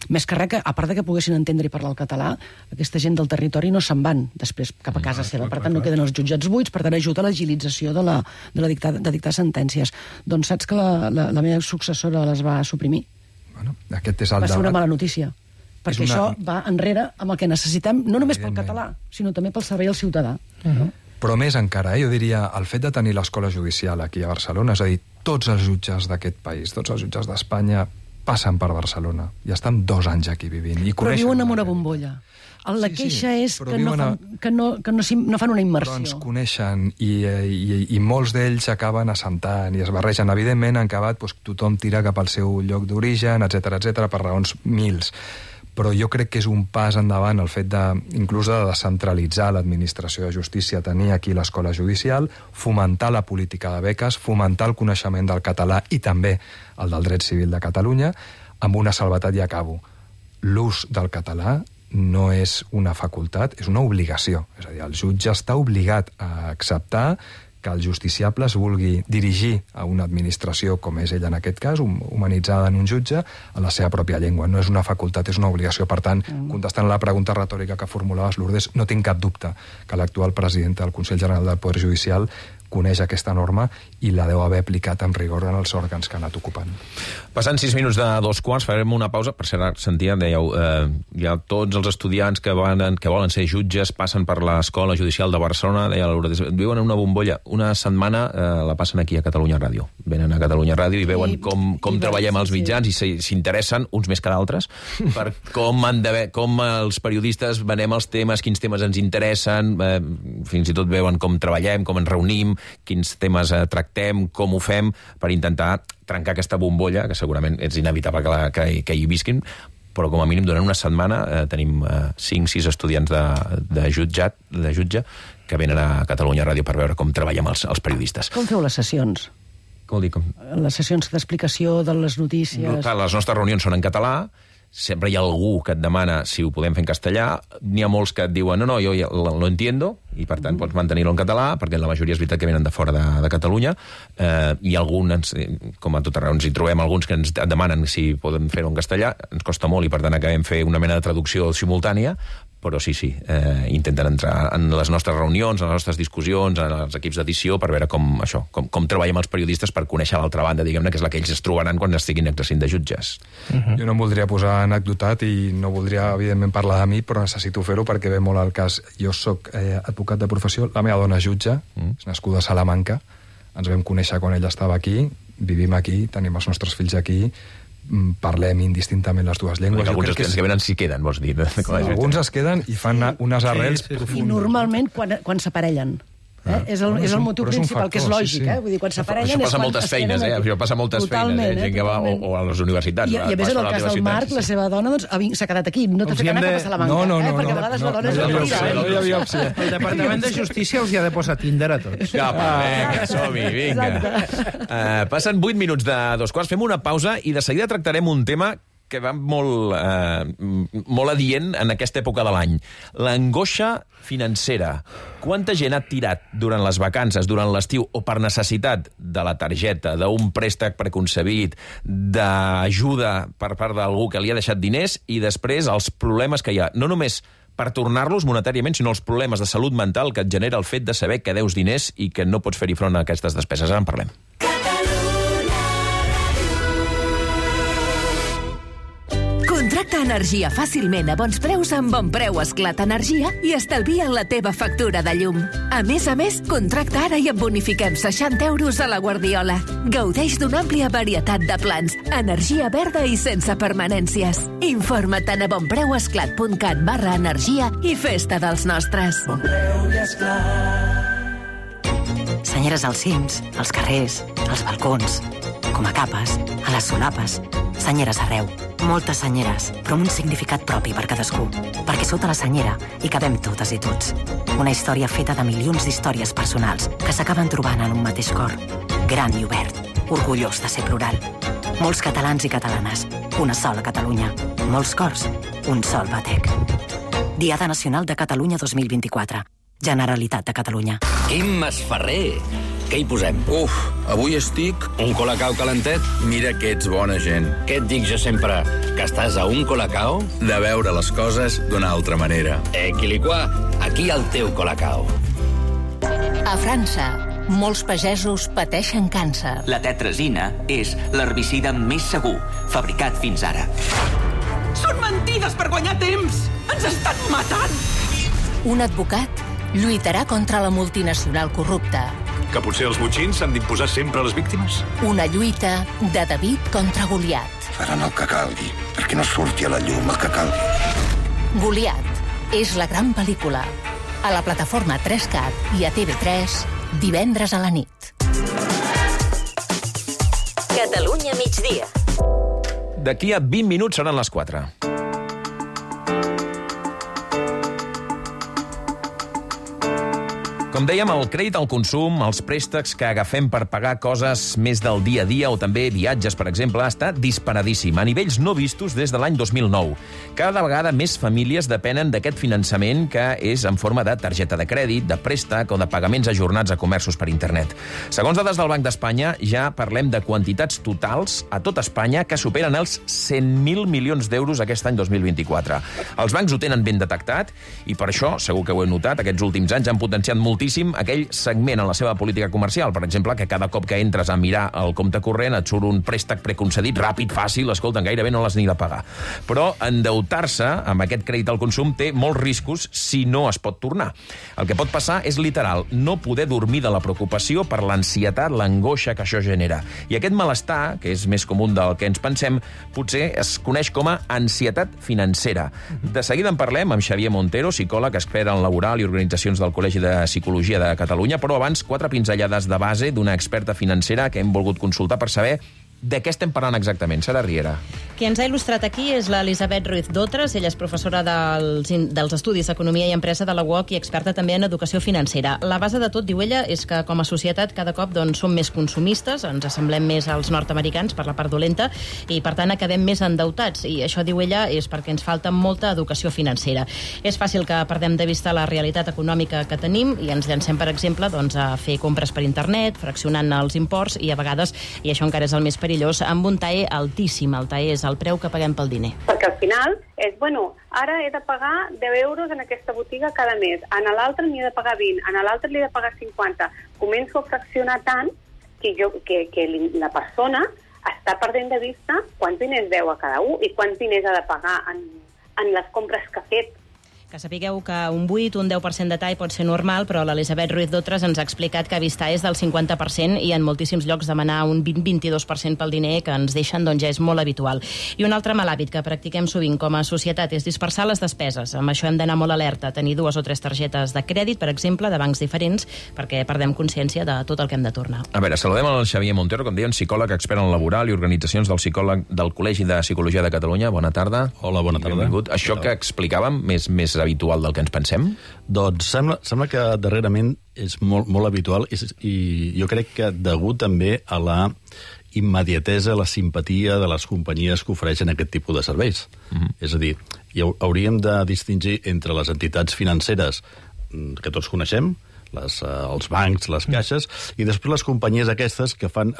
Speaker 12: Més que res, a part de que poguessin entendre i parlar el català, aquesta gent del territori no se'n van després cap a casa seva. Per tant, no queden els jutjats buits, per tant, ajuda a l'agilització de dictar sentències. Doncs saps que la meva successora les va suprimir?
Speaker 10: Bueno, aquest és el
Speaker 12: va ser una
Speaker 10: debat.
Speaker 12: mala notícia, perquè això va enrere amb el que necessitem, no només pel català, sinó també pel servei al ciutadà.
Speaker 10: Però més encara, jo diria, el fet de tenir l'escola judicial aquí a Barcelona, és a dir, tots els jutges d'aquest país, tots els jutges d'Espanya passen per Barcelona i estan 2 anys aquí vivint.
Speaker 12: Però viuen en una bombolla. La queixa és que no fan una immersió.
Speaker 10: Però ens coneixen i molts d'ells acaben assentant i es barregen. Evidentment han acabat, tothom tira cap al seu lloc d'origen, etc per raons mils. Però jo crec que és un pas endavant el fet inclús de descentralitzar l'administració de justícia, tenir aquí l'escola judicial, fomentar la política de beques, fomentar el coneixement del català i també el del dret civil de Catalunya, amb una salvetat i acabo. L'ús del català no és una facultat, és una obligació. És a dir, el jutge està obligat a acceptar que el justiciable es vulgui dirigir a una administració, com és ella en aquest cas, humanitzada en un jutge, a la seva pròpia llengua. No és una facultat, és una obligació. Per tant, contestant la pregunta retòrica que formulaves, Lourdes, no tinc cap dubte que l'actual president del Consell General del Poder Judicial coneix aquesta norma i la deu haver aplicat amb rigor en els òrgans que ha anat ocupant.
Speaker 1: Passant 6 minuts de 2:15, farem una pausa. Per cert, sentia, dèieu, ja tots els estudiants que volen ser jutges passen per l'Escola Judicial de Barcelona, deia Lourdes, viuen en una bombolla. Una setmana la passen aquí a Catalunya Ràdio. Venen a Catalunya Ràdio i veuen com treballem els mitjans i s'interessen, uns més que d'altres, per com els periodistes venem els temes, quins temes ens interessen, fins i tot veuen com treballem, com ens reunim, quins temes tractem, com ho fem, per intentar trencar aquesta bombolla, que segurament és inevitable que hi visquin, però com a mínim durant una setmana tenim 5-6 estudiants de jutge que venen a Catalunya Ràdio per veure com treballem els periodistes.
Speaker 12: Com feu les sessions?
Speaker 1: Com ho dic?
Speaker 12: Les sessions d'explicació de les notícies...
Speaker 1: Clar, les nostres reunions són en català, sempre hi ha algú que et demana si ho podem fer en castellà, n'hi ha molts que et diuen no, jo ja lo entiendo, i per tant pots mantenir-ho en català, perquè la majoria és veritat que venen de fora de Catalunya, i alguns, com a tot arreu, ens hi trobem alguns que ens demanen si podem fer-ho en castellà, ens costa molt i per tant acabem fer una mena de traducció simultània, però sí, intenten entrar en les nostres reunions, en les nostres discussions, en els equips d'edició, per veure com treballem els periodistes per conèixer l'altra banda, diguem-ne, que és la que ells es trobaran quan estiguin exercint de jutges.
Speaker 10: Jo no em voldria posar anecdotat i no voldria, evidentment, parlar de mi, però necessito fer-ho perquè ve molt al cas. Jo sóc advocat de professió, la meva dona és jutge, és nascuda a Salamanca, ens vam conèixer quan ella estava aquí, vivim aquí, tenim els nostres fills aquí, parlem indistintament les dues llengües.
Speaker 1: Alguns que venen sí queden, vols dir?
Speaker 10: Alguns es queden i fan unes arrels profundes.
Speaker 12: I normalment quan s'aparellen. És el motiu principal, que és lògic. Vull dir, quan s'aparellen...
Speaker 1: Això passa moltes feines, això passa moltes feines, gent que va o a les universitats.
Speaker 12: I a més, en el cas del Marc, la seva dona s'ha quedat aquí, no t'ha fet anar cap a Salamanca. No, perquè a vegades la dona és mentida.
Speaker 11: El Departament de Justícia els hi ha de posar Tinder a tots.
Speaker 1: Vinga, som-hi, vinga. Passen 8 minuts de 2:15, fem una pausa i de seguida tractarem un tema que va molt adient en aquesta època de l'any. L'angoixa financera. Quanta gent ha tirat durant les vacances, durant l'estiu, o per necessitat de la targeta, d'un préstec preconcebit, d'ajuda per part d'algú que li ha deixat diners, i després els problemes que hi ha, no només per tornar-los monetàriament, sinó els problemes de salut mental que et genera el fet de saber que deus diners i que no pots fer-hi front a aquestes despeses. Ara en parlem.
Speaker 14: Contracta energia fàcilment a bons preus amb Bon Preu Esclat Energia i estalvia la teva factura de llum. A més, contracta ara i et bonifiquem 60 euros a la Guardiola. Gaudeix d'una àmplia varietat de plans, energia verda i sense permanències. Informa't a bonpreuesclat.cat/energia i festa dels nostres.
Speaker 15: Bon Preu i Esclat.
Speaker 16: Senyeres als cims, als carrers, als balcons.
Speaker 15: com a capes, a les solapes, senyeres arreu. Moltes senyeres, però amb un significat propi per cadascú. Perquè sota la senyera hi cabem totes i tots. Una història feta de milions d'històries personals que s'acaben trobant en un mateix cor. Gran i obert, orgullós de ser plural. Molts catalans i catalanes, una sola Catalunya. Molts cors, un sol batec. Diada Nacional de Catalunya 2024. Generalitat de Catalunya.
Speaker 16: Quim Masferrer! Què hi posem?
Speaker 17: Avui estic...
Speaker 16: Un colacao calentet?
Speaker 17: Mira que ets bona gent.
Speaker 16: Què et dic jo sempre? Que estàs a un colacao?
Speaker 17: De veure les coses d'una altra manera.
Speaker 16: Quiliquà, aquí el teu colacao.
Speaker 14: A França, molts pagesos pateixen càncer.
Speaker 18: La tetrazina és l'herbicida més segur, fabricat fins ara. Són mentides per guanyar temps! Ens estan matant!
Speaker 14: Un advocat lluitarà contra la multinacional corrupta.
Speaker 2: Que potser els botxins s'han d'imposar sempre a les víctimes?
Speaker 14: Una lluita de David contra Goliat.
Speaker 19: Faran el que calgui, perquè no surti a la llum el que calgui.
Speaker 14: Goliat és la gran pel·lícula. A la plataforma 3CAT i a TV3, divendres a la nit.
Speaker 8: Catalunya migdia.
Speaker 1: D'aquí a 20 minuts seran les 4. Com dèiem, el crèdit al consum, els préstecs que agafem per pagar coses més del dia a dia o també viatges, per exemple, està disparadíssim, a nivells no vistos des de l'any 2009. Cada vegada més famílies depenen d'aquest finançament que és en forma de targeta de crèdit, de préstec o de pagaments ajornats a comerços per internet. Segons dades del Banc d'Espanya, ja parlem de quantitats totals a tot Espanya que superen els 100.000 milions d'euros aquest any 2024. Els bancs ho tenen ben detectat i per això, segur que ho heu notat, aquests últims anys han potenciat moltíssim aquell segment en la seva política comercial. Per exemple, que cada cop que entres a mirar el compte corrent et surt un préstec preconcedit, ràpid, fàcil, escolta, gairebé no l'has ni de pagar. Però endeutar-se amb aquest crèdit al consum té molts riscos si no es pot tornar. El que pot passar és literal, no poder dormir de la preocupació per l'ansietat, l'angoixa que això genera. I aquest malestar, que és més comú del que ens pensem, potser es coneix com a ansietat financera. De seguida en parlem amb Xavier Montero, psicòleg, expert en laboral i organitzacions del Col·legi de Psicologia de Catalunya, però abans 4 pinzellades de base d'una experta financera que hem volgut consultar per saber de què estem parlant exactament. Sara Riera.
Speaker 3: Qui ens ha il·lustrat aquí és l'Elisabet Ruiz Dotres. Ella és professora dels Estudis d'Economia i Empresa de la UOC i experta també en educació financera. La base de tot, diu ella, és que com a societat cada cop som més consumistes, ens assemblem més als nord-americans per la part dolenta i per tant acabem més endeutats. I això, diu ella, és perquè ens falta molta educació financera. És fàcil que perdem de vista la realitat econòmica que tenim i ens llancem, per exemple, a fer compres per internet, fraccionant els imports i a vegades, i això encara és el més perillós, amb un TAE altíssim. El TAE és el preu que paguem pel diner.
Speaker 20: Perquè al final és, ara he de pagar 10 euros en aquesta botiga cada mes, a l'altre n'hi he de pagar 20, a l'altre li he de pagar 50. Començo a fraccionar tant que la persona està perdent de vista quants diners deu a cada un i quants diners ha de pagar en les compres que ha fet.
Speaker 3: Que sapigueu que un 8, un 10% de TAE pot ser normal, però l'Elisabet Ruiz Dotres ens ha explicat que vist TAE és del 50% i en moltíssims llocs demanar un 20-22% pel diner que ens deixen ja és molt habitual. I un altre mal hàbit que practiquem sovint com a societat és dispersar les despeses. Amb això hem d'anar molt alerta, tenir 2 o 3 targetes de crèdit, per exemple, de bancs diferents, perquè perdem consciència de tot el que hem de tornar.
Speaker 1: A veure, saludem el Xavier Montero, com deien, psicòleg, expert en laboral i organitzacions del Col·legi de Psicologia de Catalunya. Bona tarda.
Speaker 21: Hola, bona tarda.
Speaker 1: Benvingut. Això que explicàvem és més habitual del que ens pensem?
Speaker 21: Doncs sembla que darrerament és molt habitual i jo crec que degut també a la immediatesa, la simpatia de les companyies que ofereixen aquest tipus de serveis. És a dir, hauríem de distingir entre les entitats financeres que tots coneixem, els bancs, les caixes, i després les companyies aquestes que fan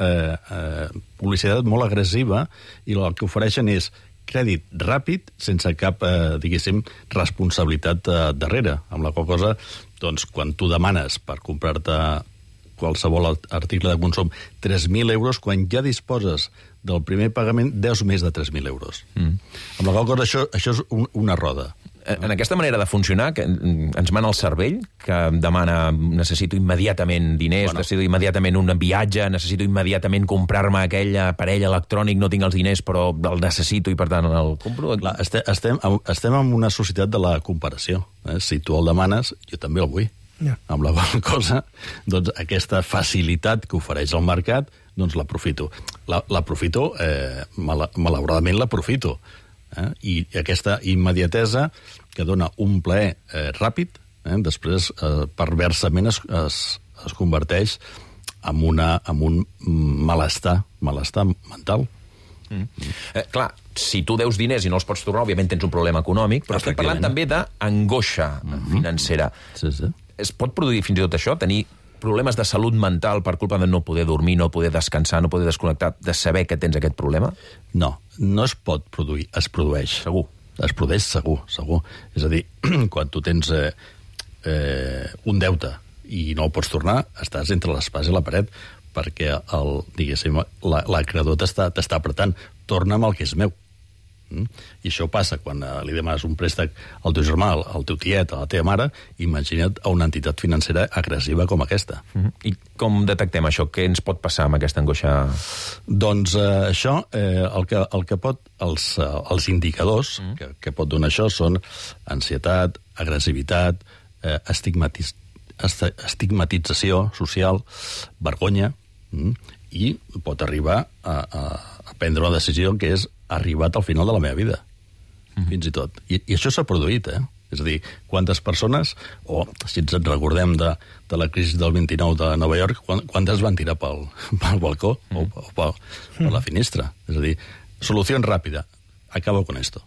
Speaker 21: publicitat molt agressiva i el que ofereixen és crèdit ràpid, sense cap, diguéssim, responsabilitat darrere, amb la qual cosa, doncs, quan tu demanes per comprar-te qualsevol article de consum 3.000 euros, quan ja disposes del primer pagament, deus més de 3.000 euros. Amb la qual cosa, això és una roda.
Speaker 1: En aquesta manera de funcionar, que ens mana el cervell, que demana necessito immediatament diners, necessito immediatament un viatge, necessito immediatament comprar-me aquell aparell electrònic, no tinc els diners però el necessito i per tant el compro.
Speaker 21: Clar, estem en una societat de la comparació. Si tu el demanes, jo també el vull. Amb la qual cosa, doncs, aquesta facilitat que ofereix el mercat, doncs l'aprofito. l'aprofito, malauradament l'aprofito. I aquesta immediatesa que dona un plaer ràpid, després perversament es converteix en un malestar mental.
Speaker 1: Clar, si tu deus diners i no els pots tornar, òbviament tens un problema econòmic, però estem parlant també d'angoixa financera. Es pot produir fins i tot això, tenir problemes de salut mental per culpa de no poder dormir, no poder descansar, no poder desconnectar, de saber que tens aquest problema?
Speaker 21: No es pot produir, es produeix.
Speaker 1: Segur.
Speaker 21: Es produeix segur. És a dir, quan tu tens un deute i no el pots tornar, estàs entre l'espasa i la paret, perquè l'acreedor t'està apretant. Torna'm el que és meu. I això passa quan li demanes un préstec al teu germà, al teu tiet, a la teva mare. Imagina't a una entitat financera agressiva com aquesta.
Speaker 1: I com detectem això? Què ens pot passar amb aquesta angoixa?
Speaker 21: Doncs això, el que pot, els indicadors que pot donar això són ansietat, agressivitat, estigmatització social, vergonya, i pot arribar a prendre una decisió que és arribat al final de la meva vida, fins i tot. I això s'ha produït, És a dir, quantes persones, o si ens recordem de la crisi del 29 de Nova York, quantes van tirar pel balcó o per la finestra? És a dir, solució ràpida, acabo con esto.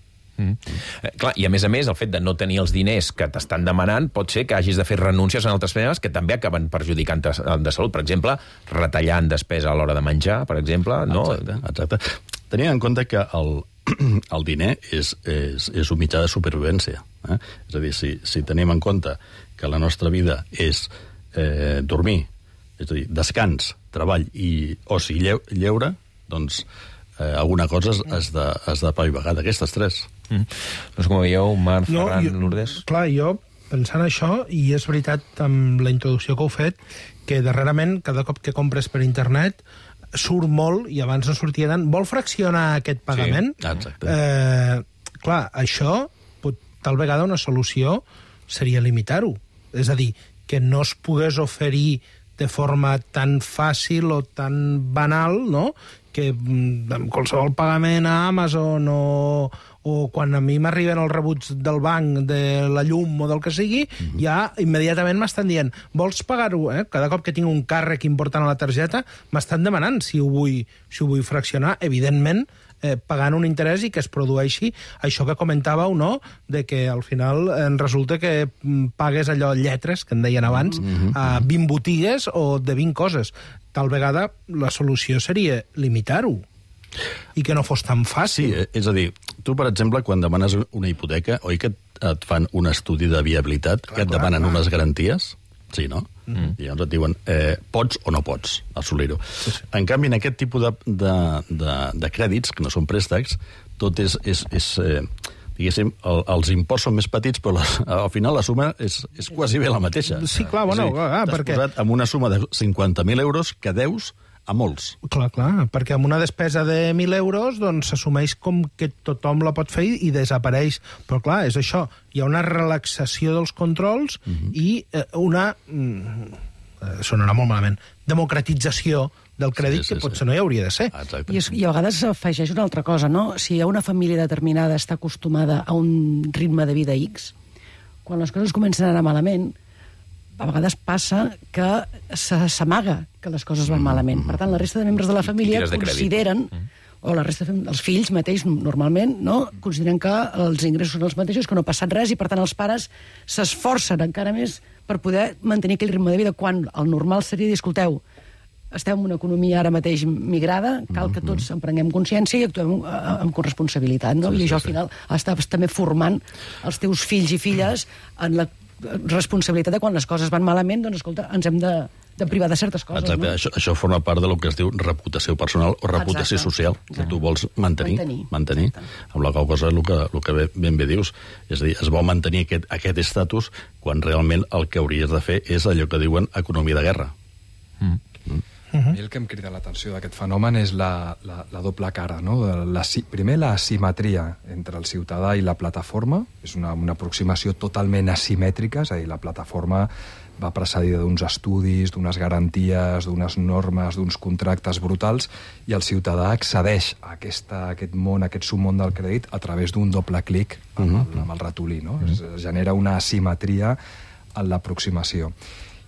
Speaker 1: Clar, i a més, el fet de no tenir els diners que t'estan demanant pot ser que hagis de fer renúncies en altres feines que també acaben perjudicant de salut. Per exemple, retallant despesa a l'hora de menjar, per exemple. No?
Speaker 21: Exacte. Tenint en compte que el diner és un mitjà de supervivència. És a dir, si tenim en compte que la nostra vida és dormir, és a dir, descans, treball i oci lleure, doncs alguna cosa has de pavivagar d'aquestes tres.
Speaker 1: No sé com veieu, Marc, Ferran, Lourdes.
Speaker 11: Clar, jo, pensant això, i és veritat amb la introducció que heu fet, que darrerament, cada cop que compres per internet, surt molt, i abans no sortia tant, vol fraccionar aquest pagament?
Speaker 21: Sí, exacte.
Speaker 11: Clar, això, tal vegada una solució seria limitar-ho. És a dir, que no es pogués oferir de forma tan fàcil o tan banal, no?, que amb qualsevol pagament a Amazon o quan a mi m'arriben els rebuts del banc, de la llum o del que sigui, ja immediatament m'estan dient, vols pagar-ho? Cada cop que tinc un càrrec important a la targeta, m'estan demanant si ho vull fraccionar, evidentment, pagant un interès i que es produeixi això que comentàveu, no?, de que al final resulta que pagues allò lletres, que en deien abans, a 20 botigues o de 20 coses. Tal vegada la solució seria limitar-ho i que no fos tan fàcil.
Speaker 21: Sí, és a dir, tu, per exemple, quan demanes una hipoteca, oi que et fan un estudi de viabilitat, que et demanen unes garanties? Sí, no? I llavors et diuen, pots o no pots assolir-ho. En canvi, en aquest tipus de crèdits, que no són préstecs, tot és diguéssim, els imports són més petits, però al final la suma és quasi bé la mateixa.
Speaker 11: Sí, clar, bueno,
Speaker 21: perquè t'has posat amb una suma de 50.000 euros que deus a molts.
Speaker 11: Clar, perquè amb una despesa de 1.000 euros doncs s'assumeix com que tothom la pot fer i desapareix. Però clar, és això, hi ha una relaxació dels controls i una, sonarà molt malament, democratització del crèdit que potser no hi hauria de ser.
Speaker 12: I a vegades s'afegeix una altra cosa, no? Si una família determinada està acostumada a un ritme de vida X, quan les coses comencen a anar malament, a vegades passa que s'amaga que les coses van malament. Per tant, la resta de membres de la família consideren, o la resta dels fills mateix, normalment, no? Consideren que els ingressos són els mateixos, que no ha passat res, i per tant els pares s'esforcen encara més per poder mantenir aquell ritme de vida, quan el normal seria dir, escolteu, estem en una economia ara mateix migrada, cal que tots en prenguem consciència i actuem amb corresponsabilitat, no? I això al final estàs també formant els teus fills i filles en la responsabilitat de quan les coses van malament, doncs escolta, ens hem de privar de certes coses.
Speaker 21: Exacte, no? Això forma part del que es diu reputació personal o reputació social, que tu vols mantenir. Amb la qual cosa, el que ben bé dius, és a dir, es vol mantenir aquest estatus quan realment el que hauries de fer és allò que diuen economia de guerra.
Speaker 10: A mi el que em crida l'atenció d'aquest fenomen és la doble cara, no? Primer, la asimetria entre el ciutadà i la plataforma. És una aproximació totalment asimètrica, és a dir, la plataforma va precedida d'uns estudis, d'unes garanties, d'unes normes, d'uns contractes brutals, i el ciutadà accedeix a aquest món, a aquest submón del crèdit, a través d'un doble clic amb el ratolí, no? Es genera una asimetria en l'aproximació.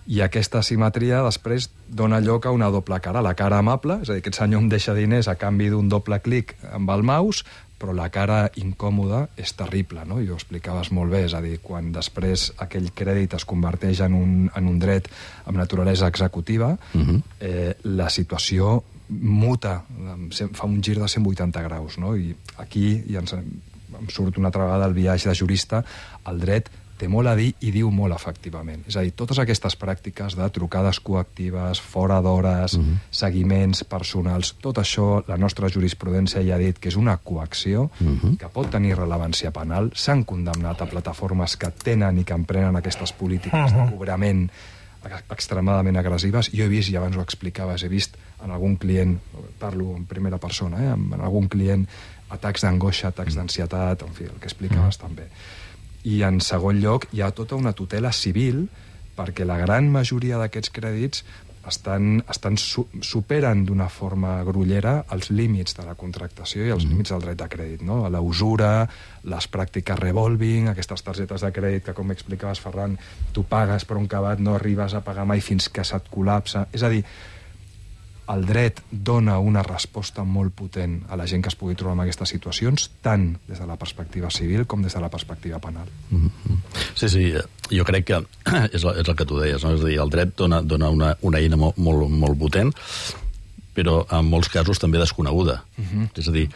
Speaker 10: I aquesta asimetria després dona lloc a una doble cara. La cara amable, és a dir, aquest senyor em deixa diners a canvi d'un doble clic amb el mouse, però la cara incòmoda és terrible, no? I ho explicaves molt bé, és a dir, quan després aquell crèdit es converteix en un dret amb naturalesa executiva, la situació muta, fa un gir de 180 graus, no? I aquí em surt una altra vegada el viatge de jurista. El dret té molt a dir i diu molt efectivament. És a dir, totes aquestes pràctiques de trucades coactives, fora d'hores, seguiments personals, tot això, la nostra jurisprudència ja ha dit que és una coacció que pot tenir rellevància penal. S'han condemnat a plataformes que tenen i que emprenen aquestes polítiques de cobrament extremadament agressives. Jo he vist, i abans ho explicaves, he vist en algun client, parlo en primera persona, en algun client, atacs d'angoixa, atacs d'ansietat, en fi, el que explicaves també. I en segon lloc hi ha tota una tutela civil perquè la gran majoria d'aquests crèdits superen d'una forma grollera els límits de la contractació i els límits del dret de crèdit, no? La usura, les pràctiques revolving, aquestes targetes de crèdit que, com explicaves, Ferran, tu pagues per un cabat, no arribes a pagar mai fins que se't col·lapsa. És a dir, el dret dona una resposta molt potent a la gent que es pugui trobar en aquestes situacions, tant des de la perspectiva civil com des de la perspectiva penal.
Speaker 21: Sí, jo crec que és el que tu deies, no? És a dir, el dret dona una eina molt potent, però en molts casos també desconeguda. És a dir,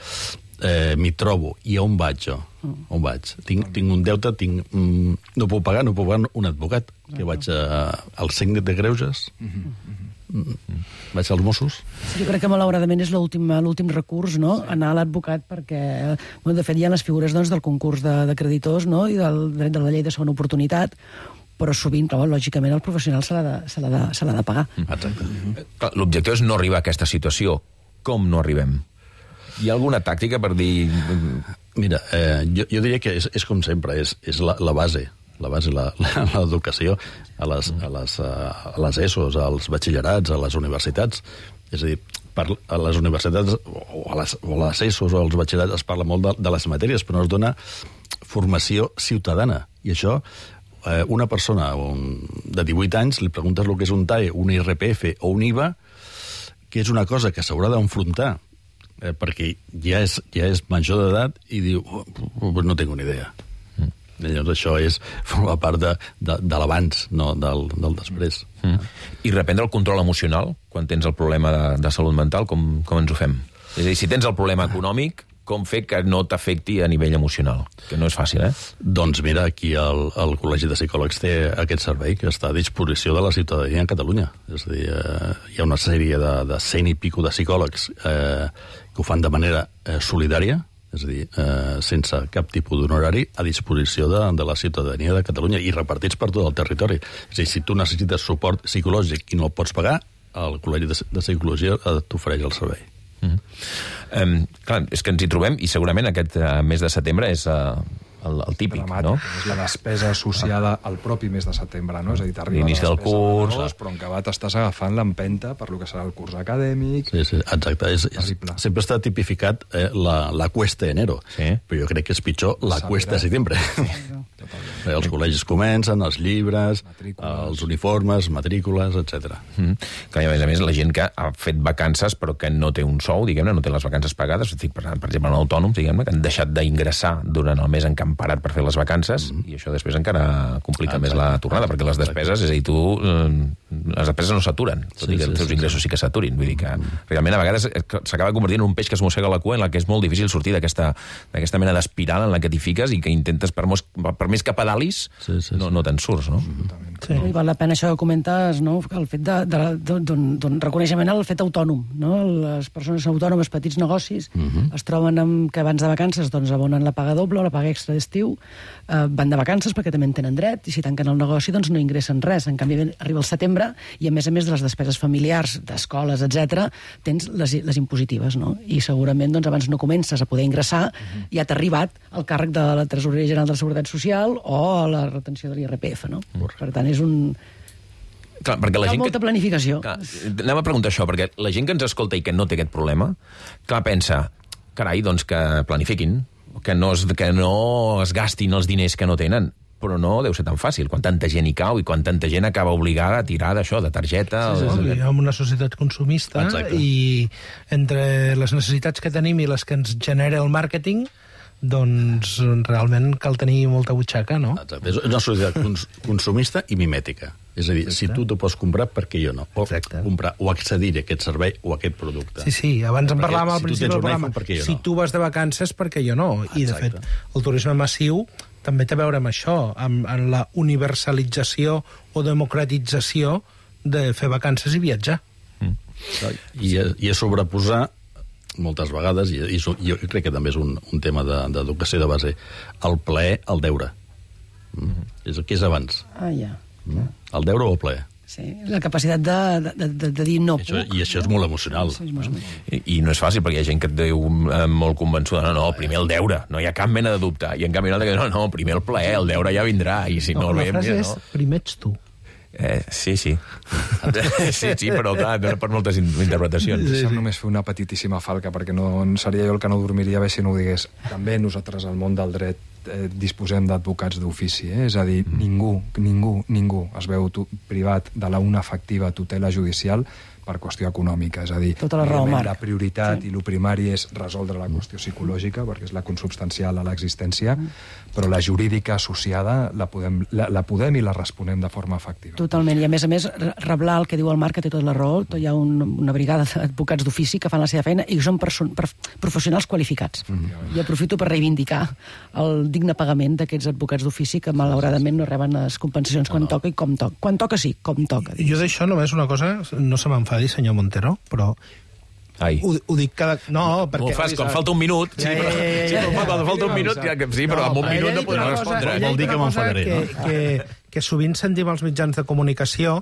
Speaker 21: m'hi trobo, i on vaig jo? On vaig? Tinc un deute, no puc pagar un advocat, que vaig al síndic de greuges, vaig als Mossos.
Speaker 12: Jo crec que malauradament és l'últim recurs, no? Anar a l'advocat, perquè de fet hi ha les figures del concurs de creditors, no? I del dret de la llei de segona oportunitat, però sovint, lògicament, el professional se l'ha de pagar.
Speaker 1: Exacte. L'objectiu és no arribar a aquesta situació. Com no arribem? Hi ha alguna tàctica per dir...
Speaker 21: Mira, jo diria que és com sempre, és la base. La base, l'educació a les ESOs, als batxillerats, a les universitats. És a dir, a les universitats o a les ESOs o als batxillerats es parla molt de les matèries, però no es dona formació ciutadana. I això, una persona de 18 anys, li preguntes el que és un TAE, un IRPF o un IVA, que és una cosa que s'haurà d'enfrontar, perquè ja és major d'edat i diu, no tinc ni idea. Llavors això forma part de l'abans, no del després.
Speaker 1: I reprendre el control emocional quan tens el problema de salut mental, com ens ho fem? És a dir, si tens el problema econòmic, com fer que no t'afecti a nivell emocional? Que no és fàcil,
Speaker 21: Doncs mira, aquí el Col·legi de Psicòlegs té aquest servei que està a disposició de la ciutadania en Catalunya. És a dir, hi ha una sèrie de 100 i pico de psicòlegs que ho fan de manera solidària, és a dir, sense cap tipus d'honorari, a disposició de la ciutadania de Catalunya i repartits per tot el territori. És a dir, si tu necessites suport psicològic i no el pots pagar, el Col·legi de Psicologia t'ofereix el servei.
Speaker 1: Clar, és que ens hi trobem i segurament aquest mes de setembre és el típic, no?
Speaker 10: És la despesa associada al propi mes de setembre, no? És a dir, t'arriba
Speaker 1: l'inici del curs,
Speaker 10: però en acabat estàs agafant l'empenta per lo que serà el curs acadèmic.
Speaker 21: Sí, exacte. Sempre està tipificat la cuesta de enero, però jo crec que és pitjor la cuesta de setembre. Els col·legis comencen, els llibres, els uniformes, matrícules, etc.
Speaker 1: Clar, i a més, la gent que ha fet vacances però que no té un sou, diguem-ne, no té les vacances pagades, per exemple, en autònoms, diguem-ne, que han deixat d'ingressar durant el mes en què han parat per fer les vacances, i això després encara complica més la tornada, perquè les despeses, és a dir, les despeses no s'aturen, tot i que els teus ingressos sí que s'aturin. Vull dir que realment a vegades s'acaba convertint en un peix que es mossega la cua, en la que és molt difícil sortir d'aquesta mena d'espiral en la que t'hi fiques i que intentes, per més que pedalis, no te'n surts, no?
Speaker 12: Sí. I val la pena això que comentes, no? El fet d'un reconeixement al fet autònom, no? Les persones autònomes, petits negocis, es troben que abans de vacances doncs, abonen la paga doble o la paga extra d'estiu, van de vacances perquè també en tenen dret, i si tanquen el negoci doncs no ingressen res. En canvi, arriba el setembre i, a més de les despeses familiars, d'escoles, etc, tens les impositives, no? I segurament doncs, abans no comences a poder ingressar, ja t'ha arribat el càrrec de la Tresoreria General de la Seguretat Social o la retenció de l'IRPF, no? Per tant, és un...
Speaker 1: Clar, perquè la gent
Speaker 12: molta planificació.
Speaker 1: Clar, anem a preguntar això, perquè la gent que ens escolta i que no té aquest problema, clar, pensa, carai, doncs que planifiquin, que no es gastin els diners que no tenen. Però no deu ser tan fàcil, quan tanta gent hi cau i quan tanta gent acaba obligada a tirar d'això, de targeta...
Speaker 11: Som una societat consumista. Exacte. I entre les necessitats que tenim i les que ens genera el màrqueting, doncs realment cal tenir molta butxaca, no?
Speaker 21: Exacte. És una societat consumista i mimètica. És a dir, si tu t'ho pots comprar, per què jo no? O comprar o accedir a aquest servei o a aquest producte.
Speaker 11: Sí, abans en parlàvem al principi del programa. Si tu vas de vacances, per què jo no? I, de fet, el turisme massiu també té a veure amb això, amb la universalització o democratització de fer vacances i viatjar.
Speaker 21: I a sobreposar, moltes vegades, i jo crec que també és un tema d'educació de base, el plaer al deure. Què és abans? El deure o el plaer?
Speaker 12: Sí, la capacitat de dir no puc.
Speaker 21: I això és molt emocional.
Speaker 1: I no és fàcil, perquè hi ha gent que et diu molt convençuda, no, primer el deure, no hi ha cap mena de dubte. I en canvi una altra que no, primer el plaer, el deure ja vindrà. I si no,
Speaker 11: la frase és, primer ets tu.
Speaker 1: Sí. Sí, però clar, per moltes interpretacions.
Speaker 10: Deixa'm només fer una petitíssima falca, perquè no seria jo el que no dormiria bé si no ho digués. També nosaltres al món del dret disposem d'advocats d'ofici, és a dir, ningú es veu privat de una efectiva tutela judicial per qüestió econòmica, és a dir, la prioritat i el primari és resoldre la qüestió psicològica, perquè és la consubstancial a l'existència, però la jurídica associada la podem i la responem de forma efectiva.
Speaker 12: Totalment, i a més, reblar el que diu el Marc, que té tota la raó, hi ha una brigada d'advocats d'ofici que fan la seva feina i són professionals qualificats. I aprofito per reivindicar el digne pagament d'aquests advocats d'ofici que malauradament no reben les compensacions quan toca i com toca. Quan toca sí, com toca.
Speaker 11: Jo d'això només una cosa, no se m'enfadi, senyor Montero, però ho dic cada... No, perquè...
Speaker 1: Ho fas quan falta un minut. Sí, quan falta un minut, sí, però en un minut no podrà respondre.
Speaker 21: Vol dir que m'enfadaré, no?
Speaker 11: Que sovint sentim als mitjans de comunicació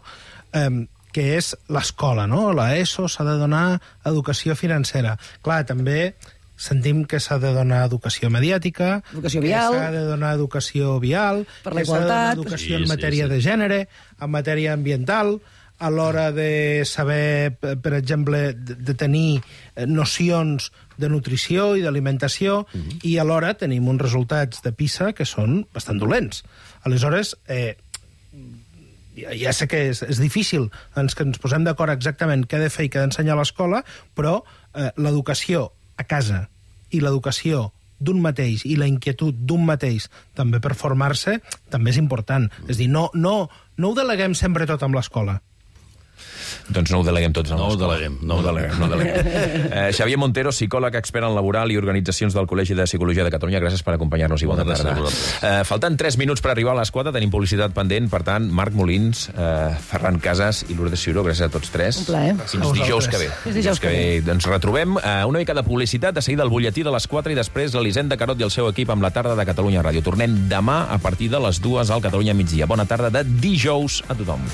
Speaker 11: que és l'escola, no? L'ESO s'ha de donar educació financera. Clar, també sentim que s'ha de donar educació mediàtica,
Speaker 12: educació vial,
Speaker 11: que s'ha de donar educació vial,
Speaker 12: per la igualtat,
Speaker 11: educació en matèria de gènere, en matèria ambiental, a l'hora de saber, per exemple, de tenir nocions de nutrició i d'alimentació, i alhora tenim uns resultats de PISA que són bastant dolents. Aleshores, ja sé que és difícil que ens posem d'acord exactament què ha de fer i què ha d'ensenyar a l'escola, però l'educació a casa i l'educació d'un mateix i la inquietud d'un mateix també per formar-se també és important. És a dir, no ho deleguem sempre tot amb l'escola.
Speaker 1: Doncs no ho deleguem tots en l'escola.
Speaker 21: No ho deleguem.
Speaker 1: Xavier Montero, psicòleg, expert en laboral i organitzacions del Col·legi de Psicologia de Catalunya, gràcies per acompanyar-nos i bona tarda. Falten 3 minuts per arribar a les 4, tenim publicitat pendent, per tant, Marc Molins, Ferran Casas i Lourdes Ciuró, gràcies a tots 3.
Speaker 12: Un plaer.
Speaker 1: Fins dijous que ve. Ens retrobem una mica de publicitat, de seguida el butlletí de les 4 i després l'Elisenda Carot i el seu equip amb la tarda de Catalunya Ràdio. Tornem demà a partir de les 2 al Catalunya Migdia. Bona tarda de dijous a tothom.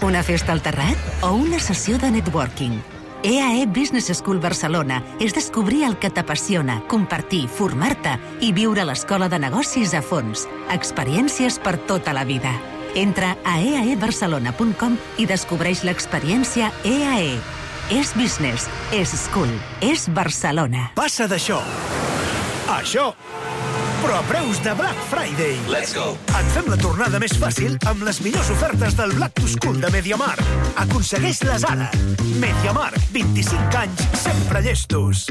Speaker 14: Una festa al terrat o una sessió de networking? EAE Business School Barcelona és descobrir el que t'apassiona, compartir, formar-te i viure l'escola de negocis a fons. Experiències per tota la vida. Entra a eaebarcelona.com i descobreix l'experiència EAE. És business, és school, és Barcelona.
Speaker 4: Passa d'això a això, però a preus de Black Friday.
Speaker 16: Let's go!
Speaker 4: Et fem la tornada més fàcil amb les millors ofertes del Black to School de MediaMarkt. Aconsegueix-les ara. MediaMarkt, 25 anys, sempre llestos.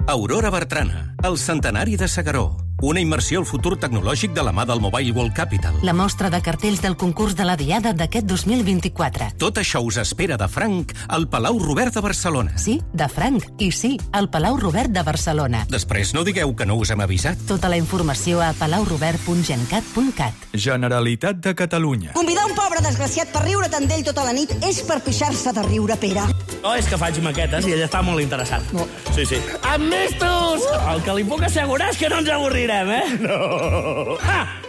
Speaker 22: Aurora Bertrana, el centenari de S'Agaró.
Speaker 6: una immersió al futur tecnològic de la mà del Mobile World Capital.
Speaker 22: La mostra de cartells del concurs de la Diada d'aquest 2024.
Speaker 6: Tot això us espera de franc al Palau Robert de Barcelona.
Speaker 22: Sí, de franc. I sí, al Palau Robert de Barcelona.
Speaker 6: Després no digueu que no us hem avisat.
Speaker 22: Tota la informació a palaurobert.gencat.cat.
Speaker 23: Generalitat de Catalunya.
Speaker 24: Convidar un pobre desgraciat per riure tant d'ell tota la nit és per pixar-se de riure, Pere.
Speaker 25: No, és que faig maquetes i ell està molt interessat. No. Sí. Amestos! El que li puc assegurar és que no ens avorrirem, No!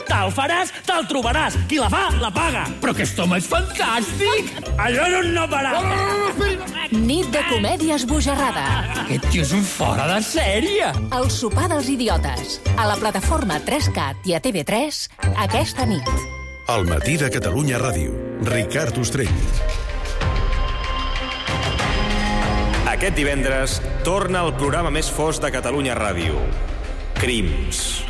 Speaker 25: Te'l faràs, te'l trobaràs. Qui la fa, la paga. Però aquest home és fantàstic! Això és un no parar.
Speaker 14: Nit de comèdia esbojarrada.
Speaker 25: Aquest tio és un fora de sèrie.
Speaker 14: El sopar dels idiotes. A la plataforma 3CAT i a TV3 aquesta nit.
Speaker 26: Al matí de Catalunya Ràdio. Ricard Ostrell.
Speaker 27: Aquest divendres torna el programa més fosc de Catalunya Ràdio. Crims.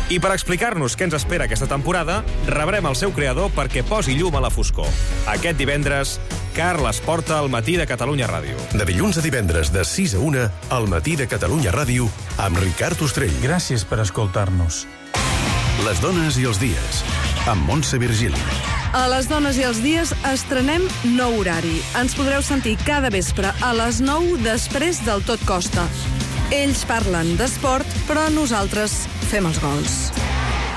Speaker 27: I per explicar-nos què ens espera aquesta temporada, rebrem el seu creador perquè posi llum a la foscor. Aquest divendres, Carles Porta al matí de Catalunya Ràdio.
Speaker 26: De dilluns a divendres, de 6 a 1, al matí de Catalunya Ràdio, amb Ricard Ostrell.
Speaker 28: Gràcies per escoltar-nos.
Speaker 26: Les dones i els dies, amb Montse Virgili.
Speaker 29: A Les dones i els dies estrenem nou horari. Ens podreu sentir cada vespre a les 9 després del Tot Costa. Ells parlen d'esport, però nosaltres fem els gols.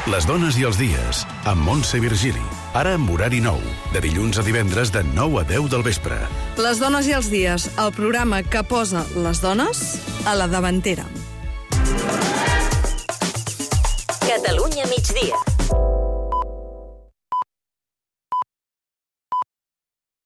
Speaker 26: Les dones i els dies, amb Montse Virgili. Ara amb horari nou, de dilluns a divendres de 9 a 10 del vespre.
Speaker 29: Les dones i els dies, el programa que posa les dones a la davantera.
Speaker 8: Catalunya migdia.